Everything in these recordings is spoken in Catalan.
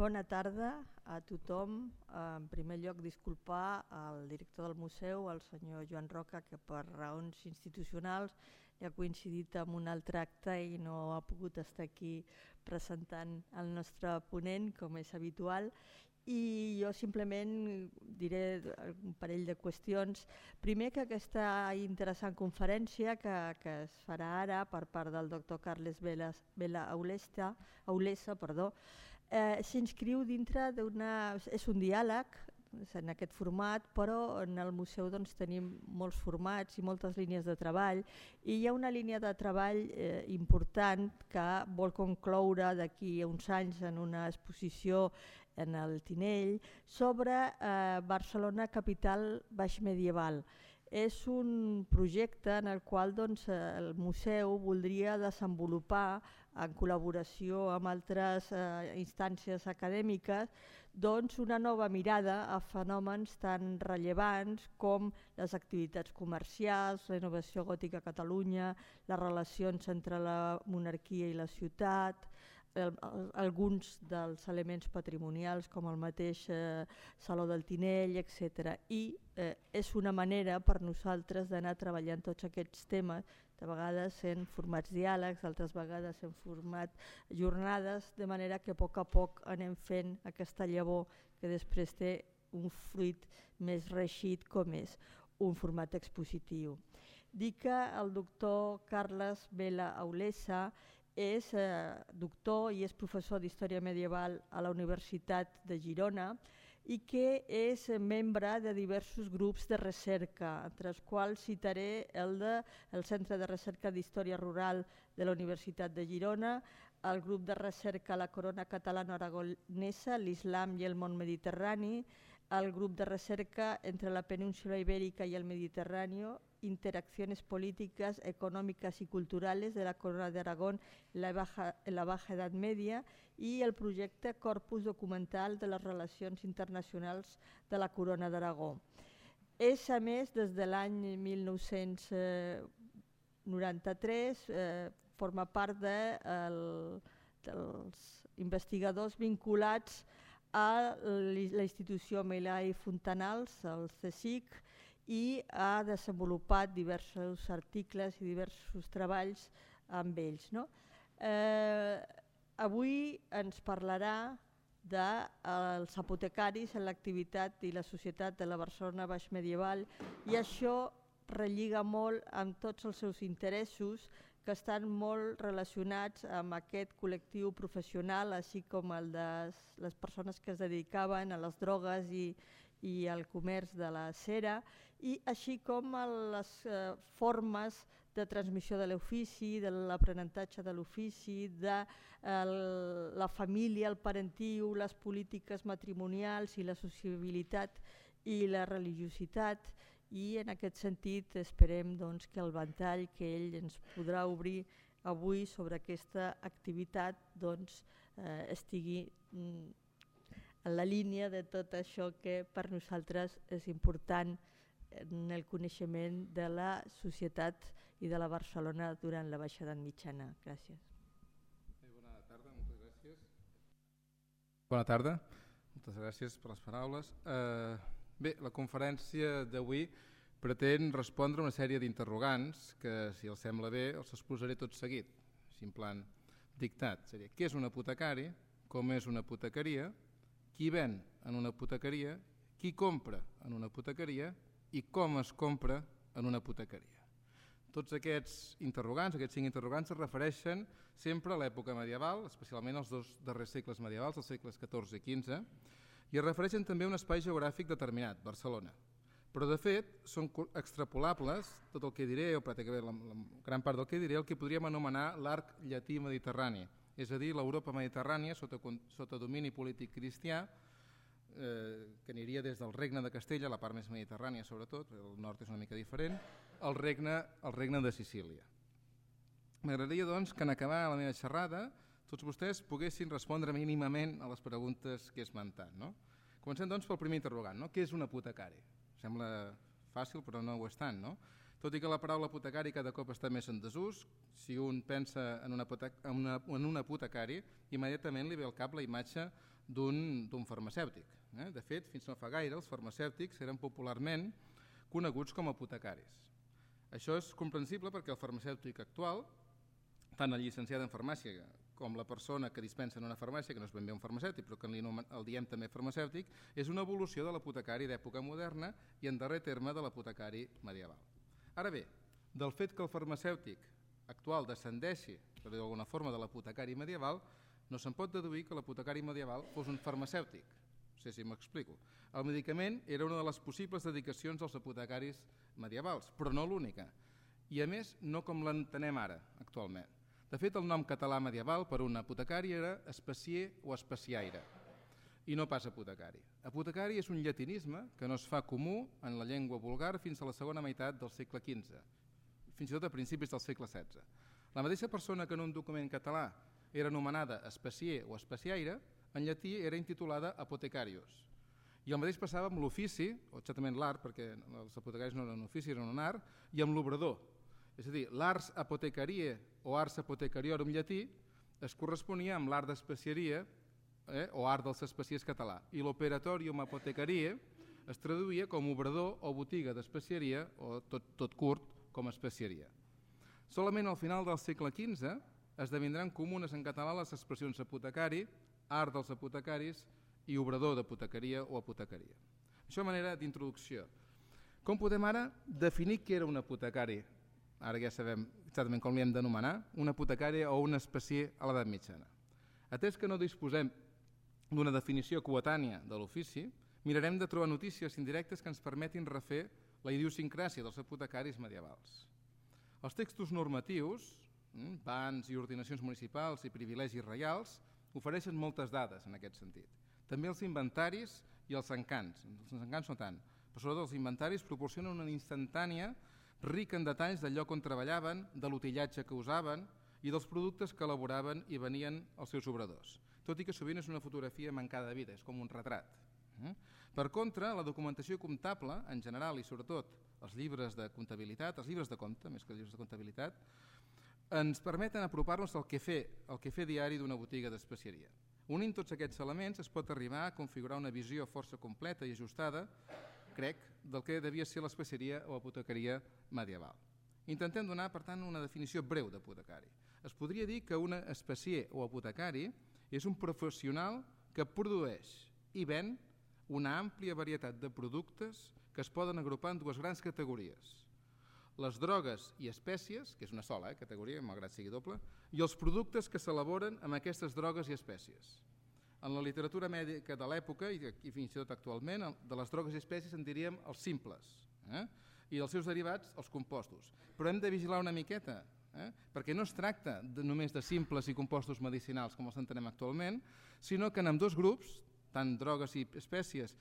Bona tarda a tothom. En primer lloc, disculpar al director del museu, el senyor Joan Roca, que per raons institucionals li ha coincidit amb un altre acte i no ha pogut estar aquí presentant el nostre ponent, com és habitual. I jo simplement diré un parell de qüestions. Primer, que aquesta interessant conferència que es farà ara per part del doctor Carles Vela Aulesa, s'inscriu dintre d'una... És un diàleg en aquest format, però en el museu tenim molts formats i moltes línies de treball, i hi ha una línia de treball important que vol concloure d'aquí a uns anys en una exposició en el Tinell sobre Barcelona, capital baixmedieval. És un projecte en el qual el museu voldria desenvolupar, en col·laboració amb altres instàncies acadèmiques, una nova mirada a fenòmens tan rellevants com les activitats comercials, la innovació gòtica a Catalunya, les relacions entre la monarquia i la ciutat, alguns dels elements patrimonials com el mateix Saló del Tinell, etc. I és una manera per nosaltres d'anar treballant tots aquests temes, de vegades en formats diàlegs, d'altres vegades en format jornades, de manera que a poc anem fent aquesta llavor que després té un fruit més reeixit com és un format expositiu. Dic que el doctor Carles Vela Aulesa és doctor i és professor d'Història Medieval a la Universitat de Girona i que és membre de diversos grups de recerca, entre els quals citaré el Centre de Recerca d'Història Rural de la Universitat de Girona, el grup de recerca La Corona Catalano-Aragonesa, l'Islam i el món mediterrani, el grup de recerca entre la península ibérica y el Mediterráneo, interacciones políticas, económicas y culturales de la Corona de Aragón en la Baja Edad Media i el projecte Corpus Documental de les Relacions Internacionals de la Corona d'Aragó. És, a més, des de l'any 1993, forma part dels investigadors vinculats a la institució Milà i Fontanals, el CSIC, i ha desenvolupat diversos articles i diversos treballs amb ells. Avui ens parlarà dels apotecaris en l'activitat i la societat de la Barcelona baixmedieval, i això relliga molt amb tots els seus interessos que estan molt relacionats amb aquest col·lectiu professional, així com el de les persones que es dedicaven a les drogues i al comerç de la cera, i així com a les formes de transmissió de l'ofici, de l'aprenentatge de l'ofici, de la família, el parentiu, les polítiques matrimonials i la sociabilitat i la religiositat. I en aquest sentit esperem que el ventall que ell ens podrà obrir avui sobre aquesta activitat estigui en la línia de tot això que per nosaltres és important en el coneixement de la societat i de la Barcelona durant la Baixa Edat Mitjana. Gràcies. Bona tarda, moltes gràcies. Bona tarda, moltes gràcies per les paraules. Bé, la conferència d'avui pretén respondre a una sèrie d'interrogants que, si els sembla bé, els exposaré tot seguit, així en plan dictat. Seria, què és un apotecari, com és una apotecaria, qui ven en una apotecaria, qui compra en una apotecaria i com es compra en una apotecaria. Tots aquests interrogants, aquests 5 interrogants, es refereixen sempre a l'època medieval, especialment als 2 darrers segles medievals, els segles XIV i XV, i es refereixen també a un espai geogràfic determinat, Barcelona. Però de fet són extrapolables, tot el que diré, o pràcticament la gran part del que diré, el que podríem anomenar l'arc llatí mediterrani, és a dir, l'Europa mediterrània sota domini polític cristià, que aniria des del regne de Castella, la part més mediterrània sobretot, el nord és una mica diferent, al regne de Sicília. M'agradaria doncs que en acabar la meva xerrada tots vostès poguessin respondre mínimament a les preguntes que he esmentat. Comencem doncs pel primer interrogant, què és un apotecari? Sembla fàcil però no ho és tant. Tot i que la paraula apotecari cada cop està més en desús, si un pensa en un apotecari, immediatament li ve al cap la imatge d'un farmacèutic. De fet, fins no fa gaire, els farmacèutics eren popularment coneguts com a apotecaris. Això és comprensible perquè el farmacèutic actual, tant el llicenciat en farmàcia com la persona que dispensa en una farmàcia, que no és ben bé un farmacèutic, però que el diem també farmacèutic, és una evolució de l'apotecari d'època moderna i, en darrer terme, de l'apotecari medieval. Ara bé, del fet que el farmacèutic actual descendeixi, per dir d'alguna forma, de l'apotecari medieval, no se'n pot deduir que l'apotecari medieval fos un farmacèutic. No sé si m'explico. El medicament era una de les possibles dedicacions dels apotecaris medievals, però no l'única. I a més, no com l'entenem ara, actualment. De fet, el nom català medieval per un apotecari era especier o especiaire, i no pas apotecari. Apotecari és un llatinisme que no es fa comú en la llengua vulgar fins a la segona meitat del segle XV, fins i tot a principis del segle XVI. La mateixa persona que en un document català era anomenada especier o especiaire, en llatí era intitulada apotecarius. I el mateix passava amb l'ofici, o exactament l'art, perquè els apotecaris no eren un ofici, eren un art, i amb l'obrador. És a dir, l'ars apotecarie o ars apotecariorum llatí es corresponia amb l'art d'especieria o art dels especiers català, i l'operatorium apotecarie es traduïa com obrador o botiga d'especieria o tot curt com a especieria. Solament al final del segle XV esdevindran comunes en català les expressions apotecari, art dels apotecaris i obrador d'apotecaria o apotecaria. Això a manera d'introducció. Com podem ara definir què era un apotecari? Ara ja sabem exactament com li hem d'anomenar, un apotecari o un especier a l'edat mitjana. Atès que no disposem d'una definició coetània de l'ofici, mirarem de trobar notícies indirectes que ens permetin refer la idiosincràsia dels apotecaris medievals. Els textos normatius, bans i ordinacions municipals i privilegis reials, ofereixen moltes dades en aquest sentit. També els inventaris i els encants. Els encants no tant, però sobretot els inventaris proporcionen una instantània rica en detalls del lloc on treballaven, de l'utillatge que usaven i dels productes que elaboraven i venien als seus obradors. Tot i que sovint és una fotografia mancada de vida, és com un retrat. Per contra, la documentació comptable, en general i sobretot els llibres de comptabilitat, els llibres de compte, més que els llibres de comptabilitat, ens permeten apropar-nos al quefer diari d'una botiga d'especieria. Unint tots aquests elements es pot arribar a configurar una visió força completa i ajustada, crec, del que devia ser l'especieria o apotecaria medieval. Intentem donar, per tant, una definició breu d'apotecari. Es podria dir que un especier o apotecari és un professional que produeix i ven una àmplia varietat de productes que es poden agrupar en dues grans categories: les drogues i espècies, que és una sola categoria, malgrat sigui doble, i els productes que s'elaboren amb aquestes drogues i espècies. En la literatura mèdica de l'època, i fins i tot actualment, de les drogues i espècies en diríem els simples, i dels seus derivats els compostos. Però hem de vigilar una miqueta, perquè no es tracta només de simples i compostos medicinals com els entenem actualment, sinó que en ambdós grups, tant drogues i espècies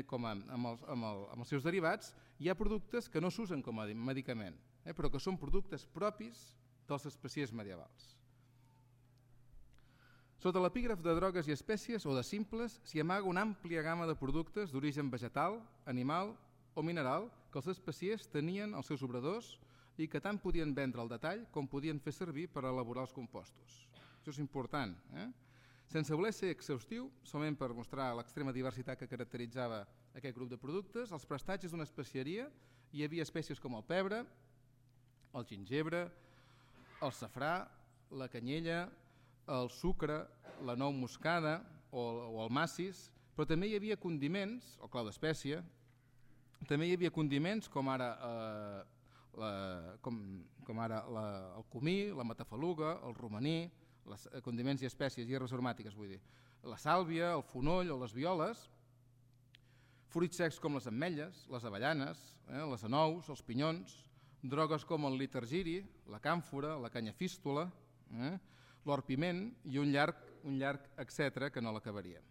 com amb els seus derivats, hi ha productes que no s'usen com a medicament, però que són productes propis dels especiers medievals. Sota l'epígraf de drogues i espècies o de simples s'hi amaga una àmplia gamma de productes d'origen vegetal, animal o mineral que els especiers tenien als seus obradors i que tant podien vendre al detall com podien fer servir per elaborar els compostos. Això és important. Sense voler ser exhaustiu, solament per mostrar l'extrema diversitat que caracteritzava aquest grup de productes, als prestatges d'una especieria hi havia espècies com el pebre, el gingebre, el safrà, la canyella, el sucre, la nou moscada o el massis, però també hi havia condiments, el clau d'espècia, també hi havia condiments com ara el comí, la matafaluga, el romaní, condiments i espècies i herbes aromàtiques, vull dir, la sàlvia, el fonoll o les violes, fruits secs com les ametlles, les avellanes, les anous, els pinyons, drogues com el litargiri, la càmfora, la canyafístula, l'orpiment i un llarg etcètera que no l'acabaríem.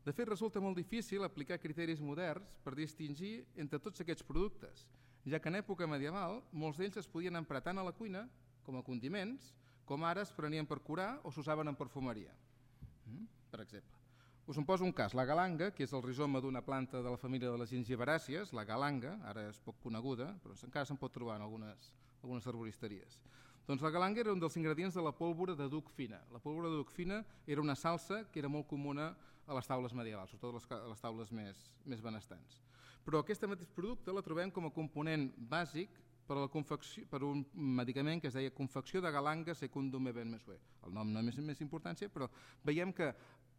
De fet, resulta molt difícil aplicar criteris moderns per distingir entre tots aquests productes, ja que en època medieval molts d'ells es podien emprar tant a la cuina com a condiments, com ara es prenien per curar o s'usaven en perfumeria, per exemple. Us en poso un cas, la galanga, que és el rizoma d'una planta de la família de les gingiveràcies, la galanga, ara és poc coneguda, però encara se'n pot trobar en algunes arboristeries. Doncs la galanga era un dels ingredients de la pólvora de duc fina. La pólvora de duc fina era una salsa que era molt comuna a les taules medievals, sobretot a les taules més benestants. Però aquest mateix producte la trobem com a component bàsic per un medicament que es deia confecció de galanga secundum eben mesue. El nom no és més importància, però veiem que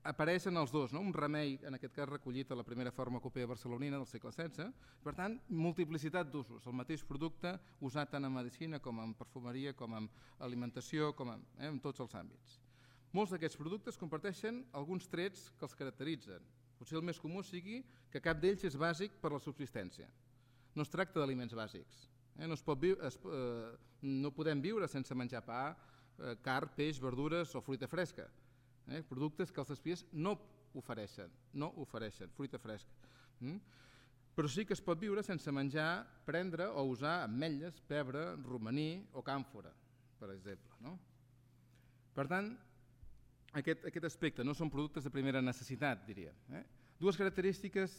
apareixen els dos, no? Un remei, en aquest cas recollit a la primera farmacopea barcelonina del segle XVI, per tant, multiplicitat d'usos, el mateix producte usat tant en medicina com en perfumeria, com en alimentació, com en tots els àmbits. Molts d'aquests productes comparteixen alguns trets que els caracteritzen. Potser el més comú sigui que cap d'ells és bàsic per la subsistència. No es tracta d'aliments bàsics. No podem viure sense menjar pa, carn, peix, verdures o fruita fresca. Productes que els espies no ofereixen, fruita fresca. Però sí que es pot viure sense menjar, prendre o usar ametlles, pebre, romaní o càmfora, per exemple. Per tant, aquest aspecte no són productes de primera necessitat, diríem. Dues característiques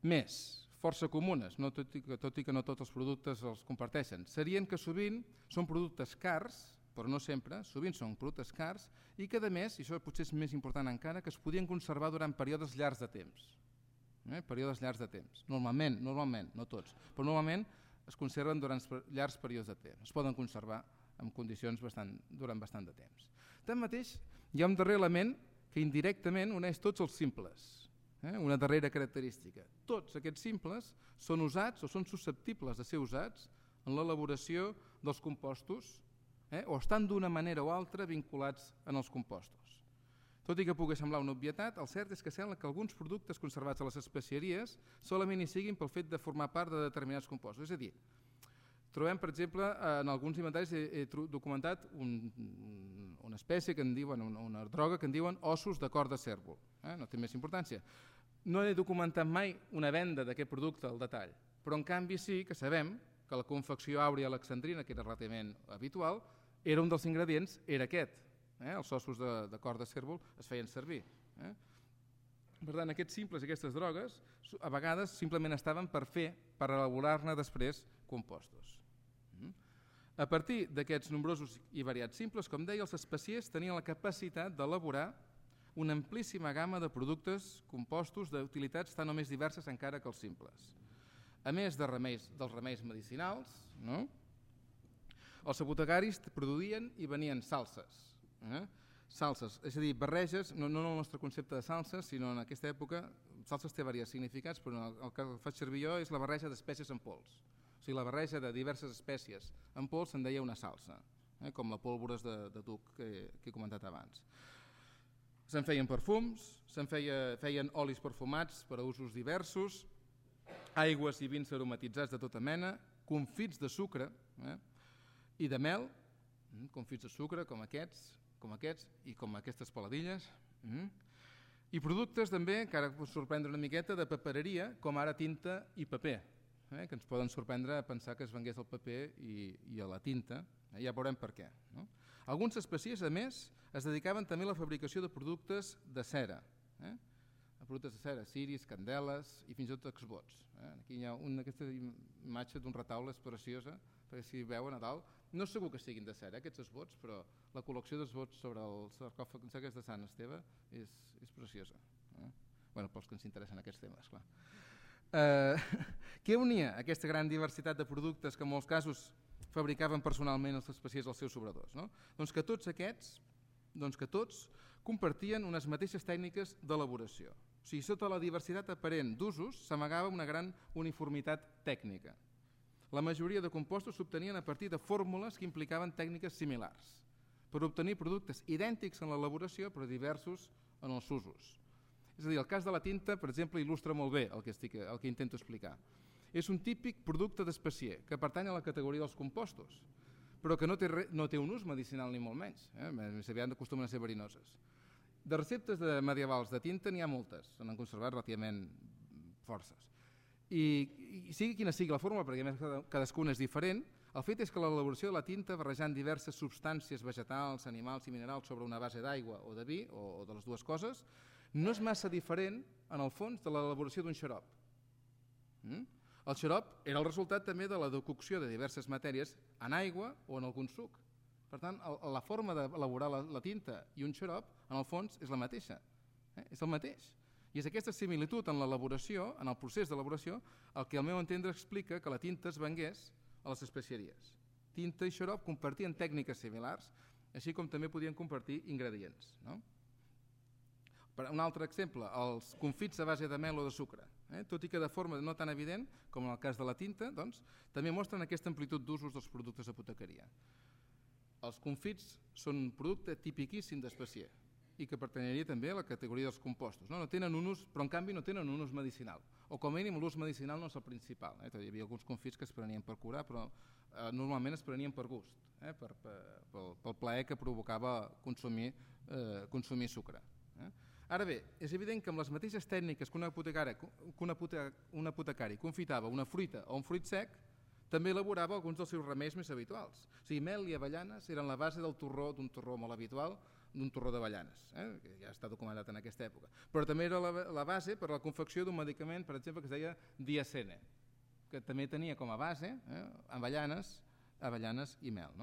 més, força comunes, tot i que no tots els productes els comparteixen, serien que sovint són productes cars, però no sempre, sovint són productes cars i que, a més, i això potser és més important encara, que es podien conservar durant períodes llargs de temps. Períodes llargs de temps. Normalment, no tots, però normalment es conserven durant llargs períodes de temps. Es poden conservar en condicions durant bastant de temps. Tanmateix, hi ha un darrer element que indirectament uneix tots els simples. Una darrera característica. Tots aquests simples són usats o són susceptibles de ser usats en l'elaboració dels compostos o estan d'una manera o altra vinculats en els compostos. Tot i que pugui semblar una obvietat, el cert és que sembla que alguns productes conservats a les especieries solament hi siguin pel fet de formar part de determinats compostos. És a dir, trobem, per exemple, en alguns inventaris he documentat una espècie que en diuen, una droga que en diuen ossos de cor de cérvol. No té més importància. No he documentat mai una venda d'aquest producte al detall, però en canvi sí que sabem que la confecció àurea alexandrina, que era relativament habitual, era un dels ingredients, era aquest. Els ossos de cor de cérvol es feien servir. Per tant, aquests simples, aquestes drogues, a vegades simplement estaven per elaborar-ne després compostos. A partir d'aquests nombrosos i variats simples, com deia, els especiers tenien la capacitat d'elaborar una amplíssima gamma de productes compostos d'utilitats tan o més diverses encara que els simples. A més dels remeis medicinals, els apotecaris produïen i venien salses. Salses, és a dir, barreges, no en el nostre concepte de salses, sinó en aquesta època, salses té diversos significats, però el que faig servir jo és la barreja d'espècies en pols. O sigui, la barreja de diverses espècies en pols se'n deia una salsa, com la pólvora de duc que he comentat abans. Se'n feien perfums, se'n feien olis perfumats per a usos diversos, aigües i vins aromatitzats de tota mena, confits de sucre i de mel, confits de sucre com aquests i com aquestes peladilles, i productes també, que ara us sorprendre una miqueta, de papereria, com ara tinta i paper, que ens poden sorprendre a pensar que es vengués el paper i a la tinta, ja veurem per què. Alguns especiers, a més, es dedicaven també a la fabricació de productes de cera, productes de cera, ciris, candeles i fins i tot exvots. Aquí hi ha aquesta imatge d'un retaule, és preciosa, perquè si veu a Nadal, no és segur que siguin de cera aquests esvots, però la col·lecció d'esvots sobre el sarcòfag de Sant Esteve és preciosa. Pels que ens interessen aquests temes, clar. Què unia aquesta gran diversitat de productes que en molts casos fabricaven personalment els especiers als seus obradors? Doncs que tots aquests, compartien unes mateixes tècniques d'elaboració. O sigui, sota la diversitat aparent d'usos s'amagava una gran uniformitat tècnica. La majoria de compostos s'obtenien a partir de fórmules que implicaven tècniques similars per obtenir productes idèntics en l'elaboració però diversos en els usos. És a dir, el cas de la tinta, per exemple, il·lustra molt bé el que intento explicar. És un típic producte d'especier que pertany a la categoria dels compostos, però que no té un ús medicinal ni molt menys. Més aviat acostumen a ser verinoses. De receptes medievals de tinta n'hi ha moltes, se n'han conservat relativament forces. I sigui quina sigui la fórmula, perquè a més cadascuna és diferent, El fet és que l'elaboració de la tinta, barrejant diverses substàncies vegetals, animals i minerals sobre una base d'aigua o de vi, o de les dues coses, no és massa diferent, en el fons, de l'elaboració d'un xarop. El xarop era el resultat també de la decocció de diverses matèries en aigua o en algun suc. Per tant, la forma d'elaborar la tinta i un xarop, en el fons, és la mateixa. És el mateix. I és aquesta similitud en l'elaboració, en el procés d'elaboració, el que al meu entendre explica que la tinta es vengués a les especieries. Tinta i xarop compartien tècniques similars, així com també podien compartir ingredients. Un altre exemple, els confits a base de mel o de sucre. Tot i que de forma no tan evident com en el cas de la tinta, doncs, també mostren aquesta amplitud d'usos dels productes d'apotecaria. Els confits són un producte tipiquíssim d'especier i que pertanyeria també a la categoria dels compostos. No tenen un ús, però en canvi no tenen un ús medicinal, o com a mínim l'ús medicinal no és el principal. Hi havia alguns confits que es prenien per curar, però normalment es prenien per gust, pel plaer que provocava consumir sucre. Ara bé, és evident que amb les mateixes tècniques que un apotecari confitava una fruita o un fruit sec, també elaborava alguns dels seus remeis més habituals. O sigui, mel i avellanes eren la base del torró, d'un torró molt habitual, d'un torró d'avellanes, que ja està documentat en aquesta època. Però també era la base per a la confecció d'un medicament, per exemple, que es deia diacene, que també tenia com a base avellanes i mel.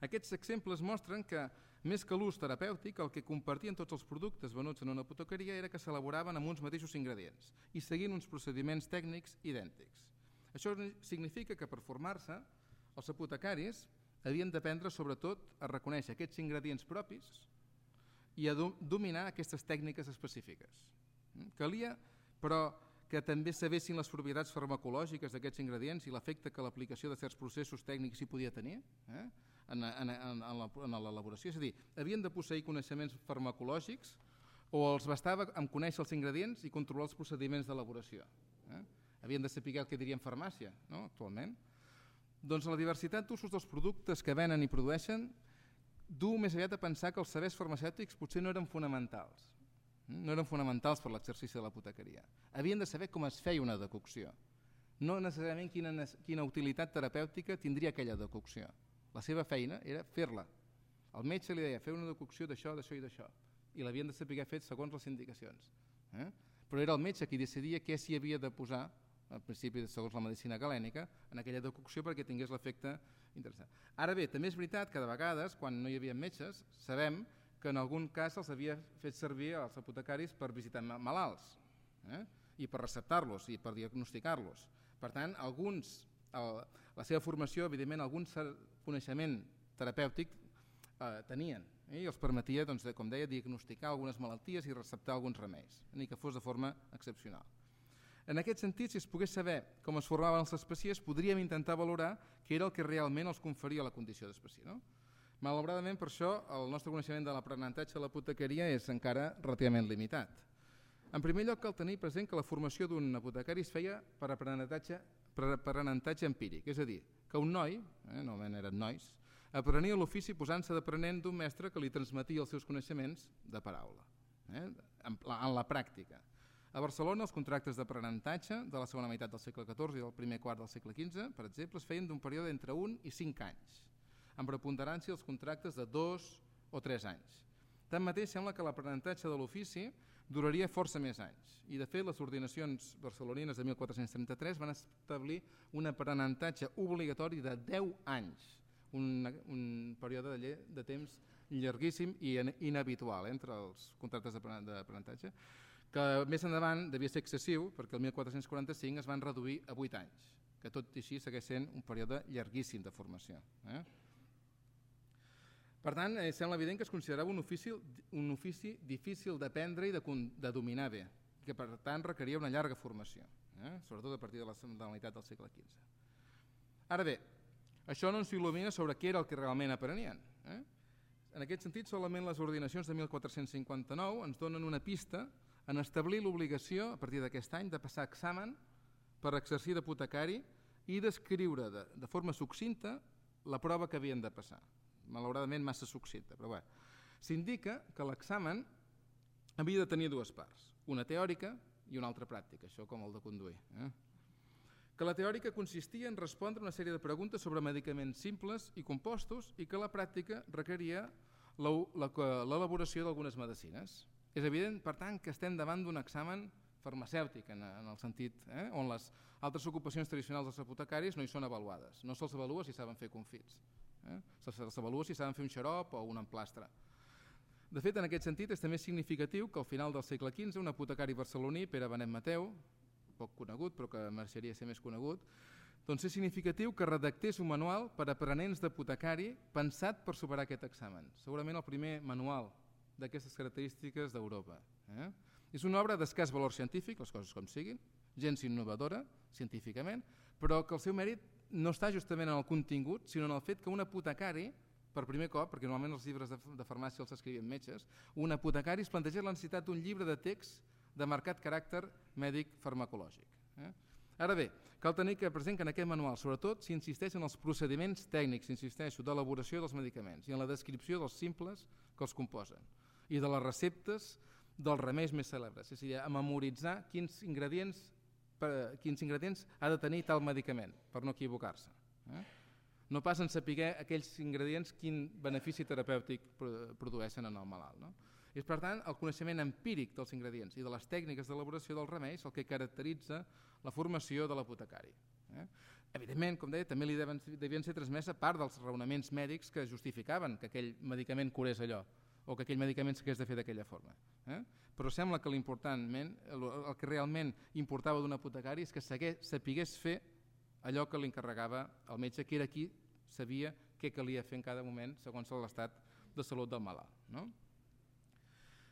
Aquests exemples mostren que, més que l'ús terapèutic, el que compartien tots els productes venuts en una apotecaria era que s'elaboraven amb uns mateixos ingredients i seguint uns procediments tècnics idèntics. Això significa que per formar-se, els apotecaris havien d'aprendre sobretot a reconèixer aquests ingredients propis i a dominar aquestes tècniques específiques. Calia, però, que també sabessin les propietats farmacològiques d'aquests ingredients i l'efecte que l'aplicació de certs processos tècnics hi podia tenir en l'elaboració. És a dir, havien de posseir coneixements farmacològics o els bastava amb conèixer els ingredients i controlar els procediments d'elaboració. Havien de saber el que diríem farmàcia, actualment. Doncs la diversitat d'usos dels productes que venen i produeixen du més aviat a pensar que els sabers farmacèutics potser no eren fonamentals. No eren fonamentals per l'exercici de l'apotecaria. Havien de saber com es feia una decocció, no necessàriament quina utilitat terapèutica tindria aquella decocció. La seva feina era fer-la. El metge li deia fer una decocció d'això, d'això i d'això, i l'havien de saber fer segons les indicacions. Però era el metge qui decidia què s'hi havia de posar, al principi segons la medicina galènica, en aquella decocció perquè tingués l'efecte interessant. Ara bé, també és veritat que de vegades, quan no hi havia metges, sabem que en algun cas els havia fet servir els apotecaris per visitar malalts i per receptar-los i per diagnosticar-los. Per tant, la seva formació, evidentment, algun coneixement terapèutic tenien i els permetia, com deia, diagnosticar algunes malalties i receptar alguns remeis, ni que fos de forma excepcional. En aquest sentit, si es pogués saber com es formaven els especiers, podríem intentar valorar què era el que realment els conferia la condició d'especier. Malauradament, per això, el nostre coneixement de l'aprenentatge a l'apotecaria és encara relativament limitat. En primer lloc, cal tenir present que la formació d'un apotecari es feia per aprenentatge empíric, és a dir, que un noi, normalment eren nois, aprenia l'ofici posant-se d'aprenent d'un mestre que li transmetia els seus coneixements de paraula, en la pràctica. A Barcelona, els contractes d'aprenentatge de la segona meitat del segle XIV i del primer quart del segle XV, per exemple, es feien d'un període entre 1 i 5 anys, amb preponderància els contractes de 2 o 3 anys. Tanmateix, sembla que l'aprenentatge de l'ofici duraria força més anys i, de fet, les ordinacions barcelonines de 1433 van establir un aprenentatge obligatori de 10 anys, un període de temps llarguíssim i inhabitual entre els contractes d'aprenentatge, que més endavant devia ser excessiu perquè el 1445 es van reduir a 8 anys, que tot i així segueix sent un període llarguíssim de formació. Per tant, sembla evident que es considerava un ofici difícil d'aprendre i de dominar bé, que per tant requeria una llarga formació, sobretot a partir de la meitat del segle XV. Ara bé, això no ens il·lumina sobre què era el que realment aprenien. En aquest sentit, solament les ordinacions de 1459 ens donen una pista en establir l'obligació, a partir d'aquest any, de passar examen per exercir d'apotecari i d'escriure de forma succinta la prova que havien de passar. Malauradament massa succinta, però bé. S'indica que l'examen havia de tenir dues parts, una teòrica i una altra pràctica, això com el de conduir. que la teòrica consistia en respondre una sèrie de preguntes sobre medicaments simples i compostos i que la pràctica requeria l'elaboració d'algunes medicines. És evident, per tant, que estem davant d'un examen farmacèutic en el sentit on les altres ocupacions tradicionals dels apotecaris no hi són avaluades. No se'ls avalua si saben fer confits, se'ls avalua si saben fer un xarop o un emplastre. De fet, en aquest sentit, és també significatiu que al final del segle XV un apotecari barceloní, Pere Benet Mateu, poc conegut però que mereixeria ser més conegut, doncs és significatiu que redactés un manual per a aprenents d'apotecari pensat per superar aquest examen. Segurament el primer manual d'aquestes característiques d'Europa. És una obra d'escàs valor científic, les coses com siguin, gens innovadora científicament, però que el seu mèrit no està justament en el contingut, sinó en el fet que un apotecari, per primer cop, perquè normalment els llibres de farmàcia els escrivien metges, un apotecari es planteja la necessitat d'un llibre de text de marcat caràcter mèdic farmacològic. Ara bé, cal tenir present que en aquest manual sobretot s'insisteix en els procediments tècnics, insisteixo, d'elaboració dels medicaments i en la descripció dels simples que els composen i de les receptes dels remeis més cèlebres, és a dir, a memoritzar quins ingredients ha de tenir tal medicament per no equivocar-se. No pas en saber aquells ingredients quin benefici terapèutic produeixen en el malalt. És, per tant, el coneixement empíric dels ingredients i de les tècniques d'elaboració dels remeis el que caracteritza la formació de l'apotecari. Evidentment, com deia, també li devien ser transmesa part dels raonaments mèdics que justificaven que aquell medicament curés allò o que aquell medicament s'hagués de fer d'aquella forma. Però sembla que el que realment importava d'un apotecari és que sapigués fer allò que li encarregava el metge, que era qui sabia què calia fer en cada moment segons l'estat de salut del malalt.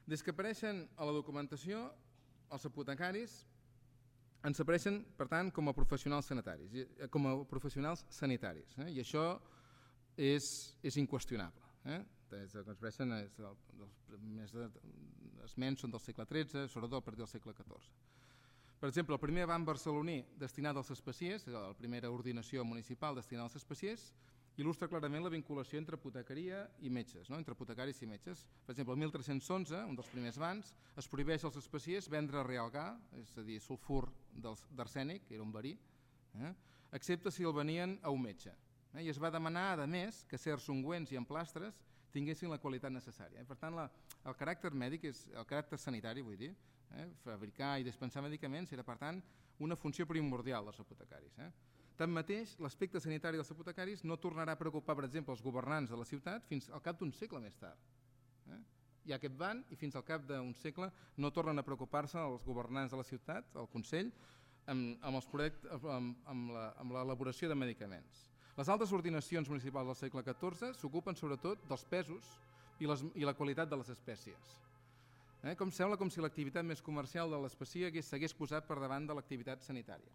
Des que apareixen a la documentació, els apotecaris ens apareixen, per tant, com a professionals sanitaris, i això és inqüestionable. Els que expressen els més esments són del segle XIII, sobretot a partir del segle XIV. Per exemple, el primer banc barceloní destinat als especiers, la primera ordinació municipal destinada als especiers, il·lustra clarament la vinculació entre apotecaria i metges, entre apotecaris i metges. Per exemple, el 1311, un dels primers bancs, es prohibeix als especiers vendre realgar, és a dir, sulfur d'arsènic, que era un verí, excepte si el venien a un metge. I es va demanar, a més, que certs ungüents i emplastres tinguessin la qualitat necessària. Per tant, el caràcter mèdic, el caràcter sanitari, vull dir, fabricar i dispensar medicaments era, per tant, una funció primordial dels apotecaris. Tanmateix, l'aspecte sanitari dels apotecaris no tornarà a preocupar, per exemple, els governants de la ciutat fins al cap d'un segle més tard. Hi ha aquest ban i fins al cap d'un segle no tornen a preocupar-se els governants de la ciutat, el Consell, amb l'elaboració de medicaments. Les altres ordinacions municipals del segle XIV s'ocupen sobretot dels pesos i la qualitat de les espècies. Sembla com si l'activitat més comercial de l'espècie s'hagués posat per davant de l'activitat sanitària.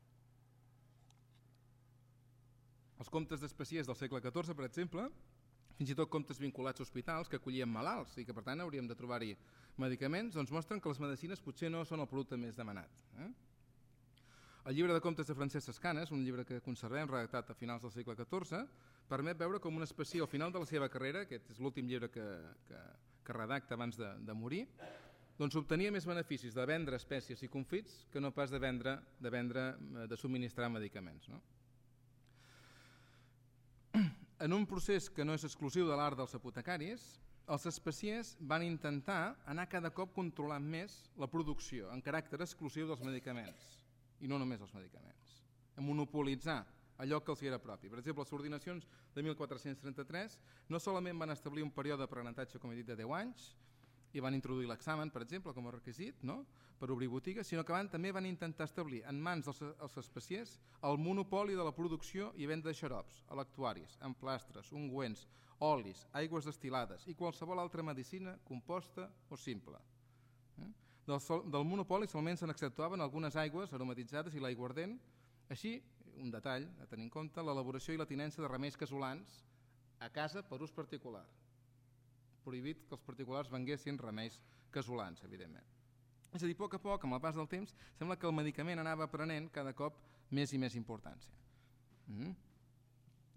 Els comptes d'espècies del segle XIV, per exemple, fins i tot comptes vinculats a hospitals que acollien malalts i que per tant hauríem de trobar-hi medicaments, doncs mostren que les medicines potser no són el producte més demanat. El llibre de comptes de Francesc Escanes, un llibre que conservem redactat a finals del segle XIV, permet veure com un especier al final de la seva carrera, aquest és l'últim llibre que redacta abans de morir, doncs obtenia més beneficis de vendre espècies i confits que no pas de subministrar medicaments. En un procés que no és exclusiu de l'art dels apotecaris, els especiers van intentar anar cada cop controlant més la producció en caràcter exclusiu dels medicaments, i no només els medicaments, a monopolitzar allò que els era propi. Per exemple, les ordinacions de 1433 no solament van establir un període d'aprenentatge, com he dit, de 10 anys, i van introduir l'examen, per exemple, com a requisit, per obrir botigues, sinó que també van intentar establir en mans dels especiers el monopoli de la producció i venda de xarops, electuaris, emplastres, ungüents, olis, aigües destil·lades i qualsevol altra medicina composta o simple. Del monopoli solament se n'exceptuaven algunes aigües aromatitzades i l'aiguardent, així, un detall a tenir en compte, l'elaboració i la tinença de remeis casolans a casa per ús particular. Prohibit que els particulars venguessin remeis casolans, evidentment. És a dir, a poc, amb el pas del temps, sembla que el medicament anava prenent cada cop més i més importància.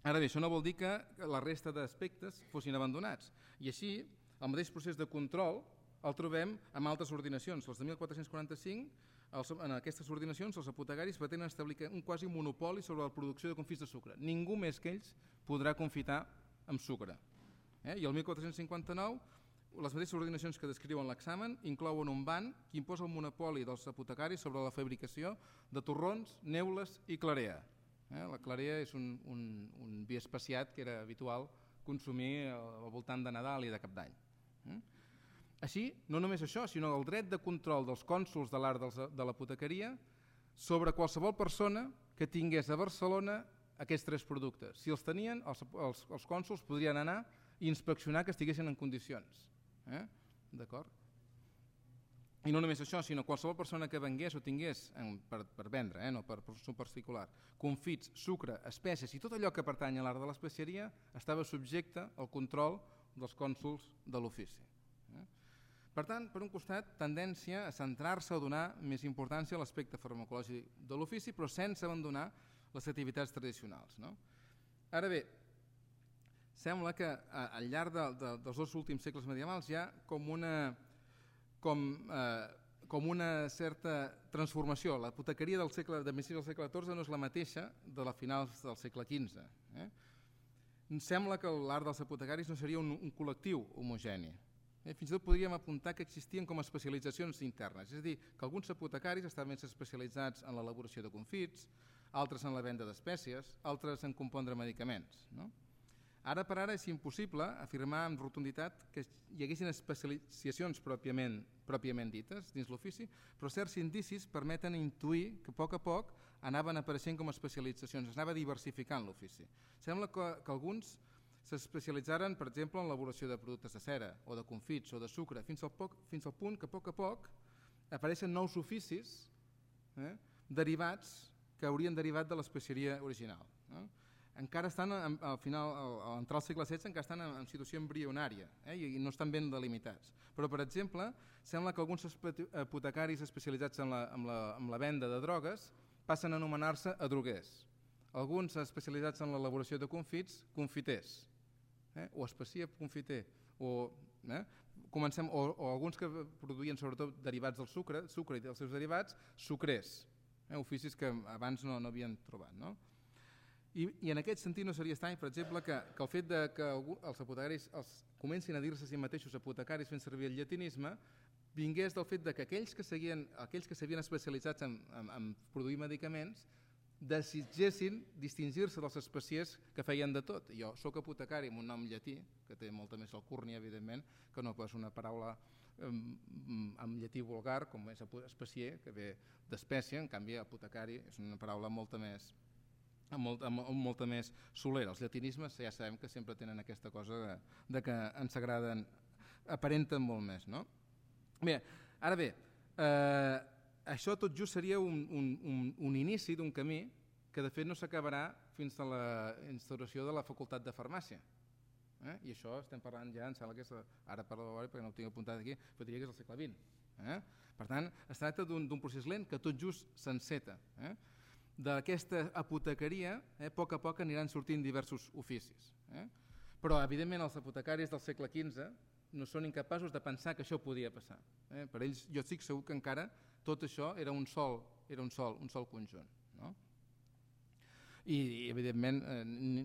Ara bé, això no vol dir que la resta d'aspectes fossin abandonats. I així, el mateix procés de control el trobem amb altres ordinacions. Les de 1445 En aquestes ordinacions els apotecaris pretenen establir un quasi monopoli sobre la producció de confits de sucre. Ningú més que ells podrà confitar amb sucre. I el 1459 les mateixes ordinacions que descriuen l'examen inclouen un ban que imposa el monopoli dels apotecaris sobre la fabricació de torrons, neules i clarea. La clarea és un vi especiat que era habitual consumir al voltant de Nadal i de Cap d'Any. Així, no només això, sinó el dret de control dels cònsols de l'art de l'apotecaria sobre qualsevol persona que tingués a Barcelona aquests 3 productes. Si els tenien, els cònsols podrien anar i inspeccionar que estiguessin en condicions. D'acord? I no només això, sinó qualsevol persona que vengués o tingués per vendre, no per consum particular, confits, sucre, espècies i tot allò que pertany a l'art de l'especieria estava subjecte al control dels cònsols de l'ofici. Per tant, per un costat, tendència a centrar-se o donar més importància a l'aspecte farmacològic de l'ofici, però sense abandonar les activitats tradicionals. Ara bé, sembla que al llarg dels 2 últims segles medievals hi ha com una certa transformació. L'apotecaria de principis del segle XIV no és la mateixa de la finals del segle XV. Sembla que l'art dels apotecaris no seria un col·lectiu homogeni. Fins i tot podríem apuntar que existien com a especialitzacions internes, és a dir, que alguns apotecaris estaven més especialitzats en l'elaboració de confits, altres en la venda d'espècies, altres en compondre medicaments. Ara per ara és impossible afirmar amb rotunditat que hi haguessin especialitzacions pròpiament dites dins l'ofici, però certs indicis permeten intuir que a poc anaven apareixent com a especialitzacions, es anava diversificant l'ofici. Sembla que alguns s'especialitzaren, per exemple, en l'elaboració de productes de cera o de confits o de sucre, fins al punt que a poc apareixen nous oficis derivats que haurien derivat de l'especieria original. Encara estan, al final, a l'entrar al segle XVI, encara estan en situació embrionària i no estan ben delimitats. Però, per exemple, sembla que alguns apotecaris especialitzats en la venda de drogues passen a anomenar-se adroguers. Alguns especialitzats en l'elaboració de confits, confiters, o especier confiter, o alguns que produïen sobretot derivats del sucre i dels seus derivats, sucrers, oficis que abans no havien trobat. I en aquest sentit no seria estrany, per exemple, que el fet que els apotecaris comencin a dir-se a si mateixos apotecaris fent servir el llatinisme vingués del fet que aquells que s'havien especialitzat en produir medicaments desitgessin distingir-se dels especiers que feien de tot. Jo soc apotecari amb un nom llatí, que té molta més alcúrnia, evidentment, que no pas una paraula en llatí vulgar, com és especier, que ve d'espècie, en canvi apotecari és una paraula molta més solera. Els llatinismes ja sabem que sempre tenen aquesta cosa de que ens agraden, aparenten molt més. Bé, ara bé, això tot just seria un inici d'un camí que de fet no s'acabarà fins a la instauració de la facultat de farmàcia. I això estem parlant ja, em sembla que és, ara parlo de memòria perquè no ho tinc apuntat aquí, però diria que és el segle XX. Per tant, es tracta d'un procés lent que tot just s'enceta. D'aquesta apotecaria, a poc aniran sortint diversos oficis. Però, evidentment, els apotecaris del segle XV no són incapaços de pensar que això podia passar. Per ells, jo estic segur que encara tot això era un sol conjunt. I evidentment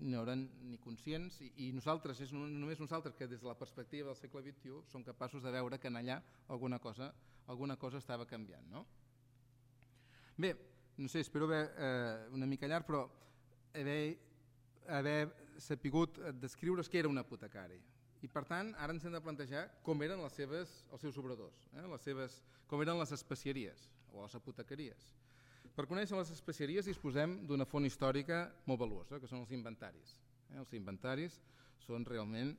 no eren ni conscients i nosaltres, és només nosaltres que des de la perspectiva del segle XXI som capaços de veure que en allà alguna cosa estava canviant. Bé, no sé, espero haver una mica llarg, però haver sapigut descriure què era un apotecari. I per tant, ara ens hem de plantejar com eren els seus obradors, com eren les especieries o les apotecaries. Per conèixer les especieries disposem d'una font històrica molt valuosa, que són els inventaris. Els inventaris són realment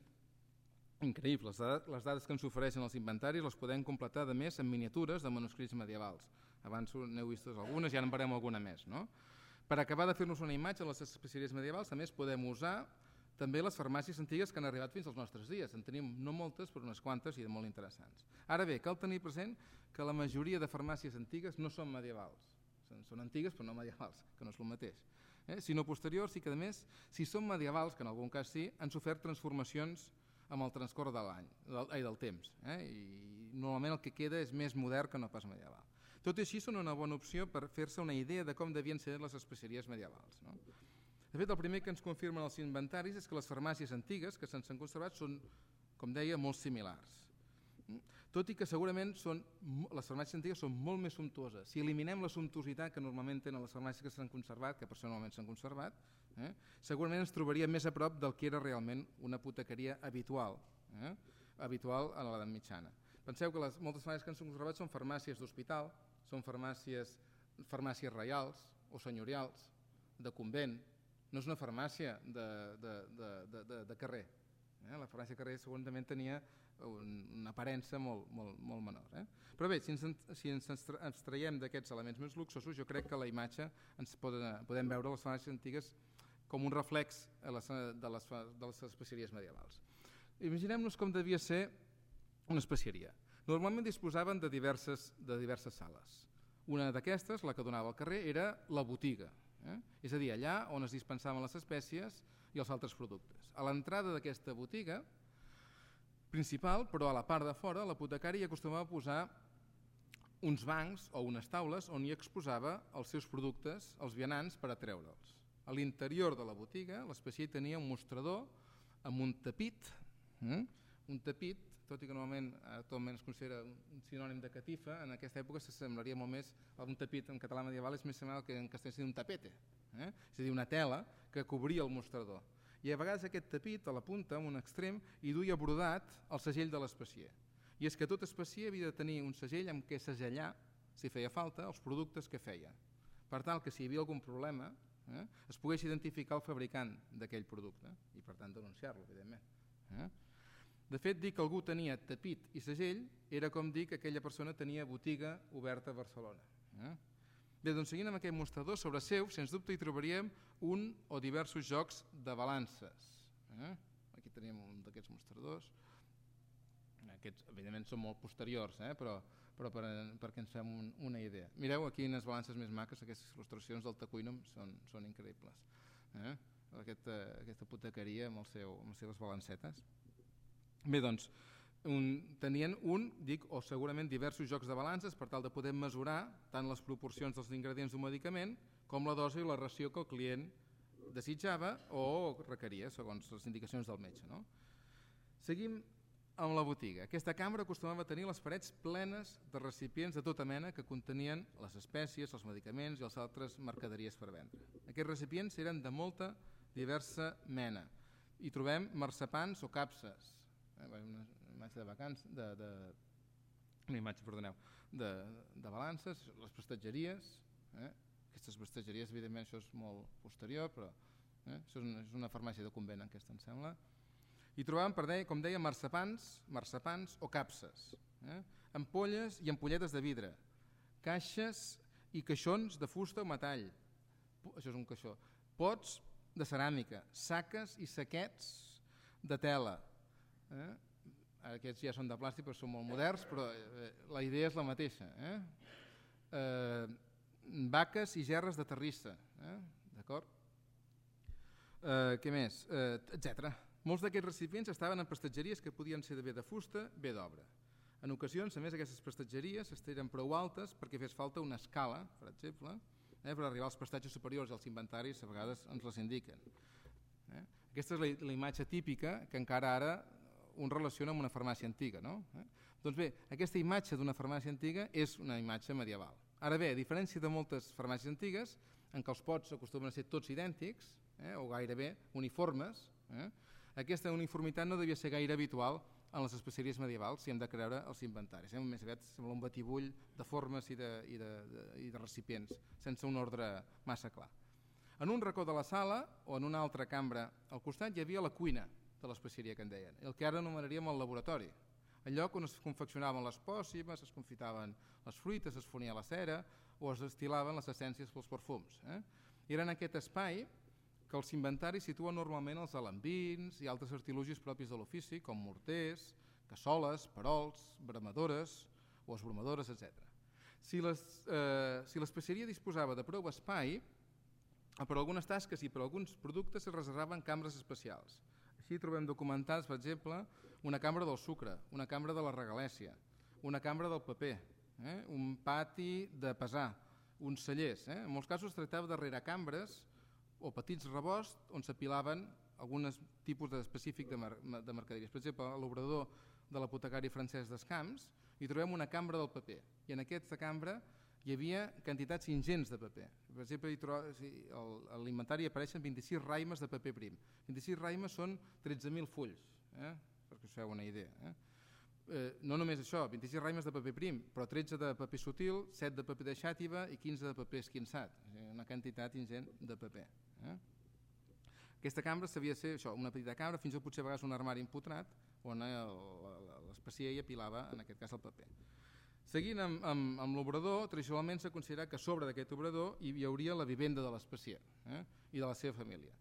increïbles. Les dades que ens ofereixen els inventaris les podem completar, a més, amb miniatures de manuscrits medievals. Abans n'heu vist algunes i ara en veurem alguna més. Per acabar de fer-nos una imatge de les especieries medievals, a més, podem usar també les farmàcies antigues que han arribat fins als nostres dies. En tenim no moltes, però unes quantes i de molt interessants. Ara bé, cal tenir present que la majoria de farmàcies antigues no són medievals. Són antigues però no medievals, que no és el mateix. Sinó posteriors i que, a més, si són medievals, que en algun cas sí, han sofert transformacions amb el transcórrer del temps. I normalment el que queda és més modern que no pas medieval. Tot i així són una bona opció per fer-se una idea de com devien ser les especeries medievals. No? De fet, el primer que ens confirmen els inventaris és que les farmàcies antigues que se'ns han conservat són, com deia, molt similars. Tot i que segurament les farmàcies antigues són molt més sumptuoses. Si eliminem la sumptuositat que normalment tenen les farmàcies que s'han conservat, que personalment s'han conservat, segurament ens trobaríem més a prop del que era realment una apotecaria habitual, habitual a l'edat mitjana. Penseu que moltes farmàcies que s'han conservat són farmàcies d'hospital, són farmàcies reials o senyorials, de convent, no és una farmàcia de carrer. La farmàcia de carrer segurament tenia una aparença molt menor. Però bé, si ens abstraiem d'aquests elements més luxosos, jo crec que a la imatge ens podem veure les farmàcies antigues com un reflex de les especieries medievals. Imaginem-nos com devia ser una especieria. Normalment disposaven de diverses sales. Una d'aquestes, la que donava al carrer, era la botiga, és a dir, allà on es dispensaven les espècies i els altres productes. A l'entrada d'aquesta botiga principal, però a la part de fora, l'apotecari acostumava a posar uns bancs o unes taules on hi exposava els seus productes, els vianants, per atreure'ls. A l'interior de la botiga, l'especier tenia un mostrador amb un tapit, tot i que normalment actualment es considera un sinònim de catifa, en aquesta època s'assemblaria molt més a un tapit en català medieval, és més semblant que en castellà seria un tapete, és a dir, una tela que cobria el mostrador. I a vegades aquest tapit a la punta, en un extrem, hi duia brodat el segell de l'especier. I és que tot especier havia de tenir un segell amb què segellar, si feia falta, els productes que feia, per tal que si hi havia algun problema es pogués identificar el fabricant d'aquell producte i per tant denunciar-lo, evidentment. De fet, dir que algú tenia tapit i segell era com dir que aquella persona tenia botiga oberta a Barcelona. Bé, doncs seguint amb aquest mostrador, sobre seu, sens dubte hi trobaríem un o diversos jocs de balances. Aquí tenim un d'aquests mostradors. Aquests, evidentment, són molt posteriors, però perquè ens fem una idea. Mireu aquí unes balances més maques, aquestes il·lustracions del Tacuínum són increïbles. Aquesta apotecaria amb les seves balancetes. Bé, doncs, tenien o segurament diversos jocs de balances per tal de poder mesurar tant les proporcions dels ingredients d'un medicament com la dosi i la ració que el client desitjava o requeria, segons les indicacions del metge. Seguim amb la botiga. Aquesta cambra acostumava a tenir les parets plenes de recipients de tota mena que contenien les espècies, els medicaments i les altres mercaderies per vendre. Aquests recipients eren de molta diversa mena. Hi trobem marcepans o capses, una imatge de balances, les prestatgeries. Aquestes prestatgeries, evidentment, això és molt posterior, però això és una farmàcia de convent aquesta, em sembla. Hi trobàvem, com deia, marcepans o capses, ampolles i ampolletes de vidre, caixes i caixons de fusta o metall, això és un caixó, pots de ceràmica, saques i saquets de tela. Aquests ja són de plàstic però són molt moderns, però la idea és la mateixa. Vaques i gerres de terrissa, d'acord? Què més? Etcètera. Molts d'aquests recipients estaven en prestatgeries que podien ser bé de fusta, bé d'obra. En ocasions, a més, aquestes prestatgeries eren prou altes perquè fes falta una escala, per exemple, per arribar als prestatges superiors i als inventaris, a vegades ens les indiquen. Aquesta és la imatge típica que encara ara un relaciona amb una farmàcia antiga. Doncs bé, aquesta imatge d'una farmàcia antiga és una imatge medieval. Ara bé, a diferència de moltes farmàcies antigues, en què els pots acostumen a ser tots idèntics o gairebé uniformes, aquesta uniformitat no devia ser gaire habitual en les especieries medievals si hem de creure els inventaris. Més aviat sembla un batibull de formes i de recipients, sense un ordre massa clar. En un racó de la sala o en una altra cambra al costat hi havia la cuina de l'especieria que en deien, el que ara anomenaríem el laboratori, el lloc on es confeccionaven les pòssimes, es confitaven les fruites, es fonia la cera o es destilaven les essències pels perfums. Era en aquest espai que els inventaris situen normalment els alambins i altres artilugis propis de l'ofici, com morters, cassoles, perols, bramadores o esbromadores, etc. Si l'especieria disposava de prou espai, per algunes tasques i per alguns productes es reservaven cambres especials. Així trobem documentats, per exemple, una cambra del sucre, una cambra de la regalèssia, una cambra del paper, un pati de pesar, uns cellers. En molts casos es tractava de reracambres o petits rebosts on s'apilaven alguns tipus específic de mercaderies. Per exemple, a l'obrador de l'apotecari Francesc Descamps hi trobem una cambra del paper, i en aquesta cambra hi havia quantitats ingents de paper. Per exemple, a l'inventari apareixen 26 raimes de paper prim. 26 raimes són 13.000 fulls, perquè us feu una idea. No només això, 26 raimes de paper prim, però 13 de paper sutil, 7 de paper de xàtiva i 15 de paper esquinçat. Una quantitat ingent de paper. Aquesta cambra sabia ser això, una petita cambra, fins i tot potser a vegades un armari empotrat, on l'especier hi apilava, en aquest cas, el paper. Seguint amb l'obrador, tradicionalment s'ha considerat que a sobre d'aquest obrador hi hauria la vivenda de l'especier i de la seva família.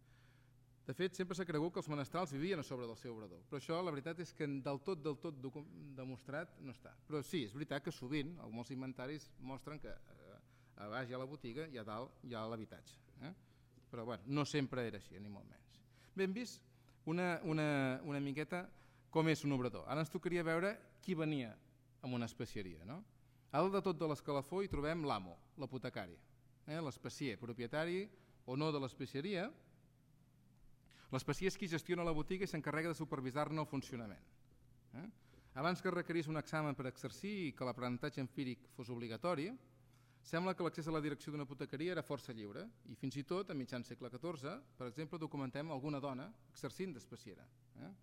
De fet, sempre s'ha cregut que els menestrals vivien a sobre del seu obrador, però això la veritat és que del tot demostrat no està. Però sí, és veritat que sovint molts inventaris mostren que a baix hi ha la botiga i a dalt hi ha l'habitatge. Però bueno, no sempre era així, ni molt menys. Bé, hem vist una miqueta com és un obrador. Ara ens tocaria veure qui venia amb una especieria. A dalt de tot de l'escalafó hi trobem l'amo, l'apotecari, l'especier, propietari o no de l'especieria. L'especier és qui gestiona la botiga i s'encarrega de supervisar-ne el funcionament. Abans que es requerís un examen per exercir i que l'aprenentatge empíric fos obligatori, sembla que l'accés a la direcció d'una apotecaria era força lliure i fins i tot, a mitjan segle XIV, per exemple, documentem alguna dona exercint d'especiera.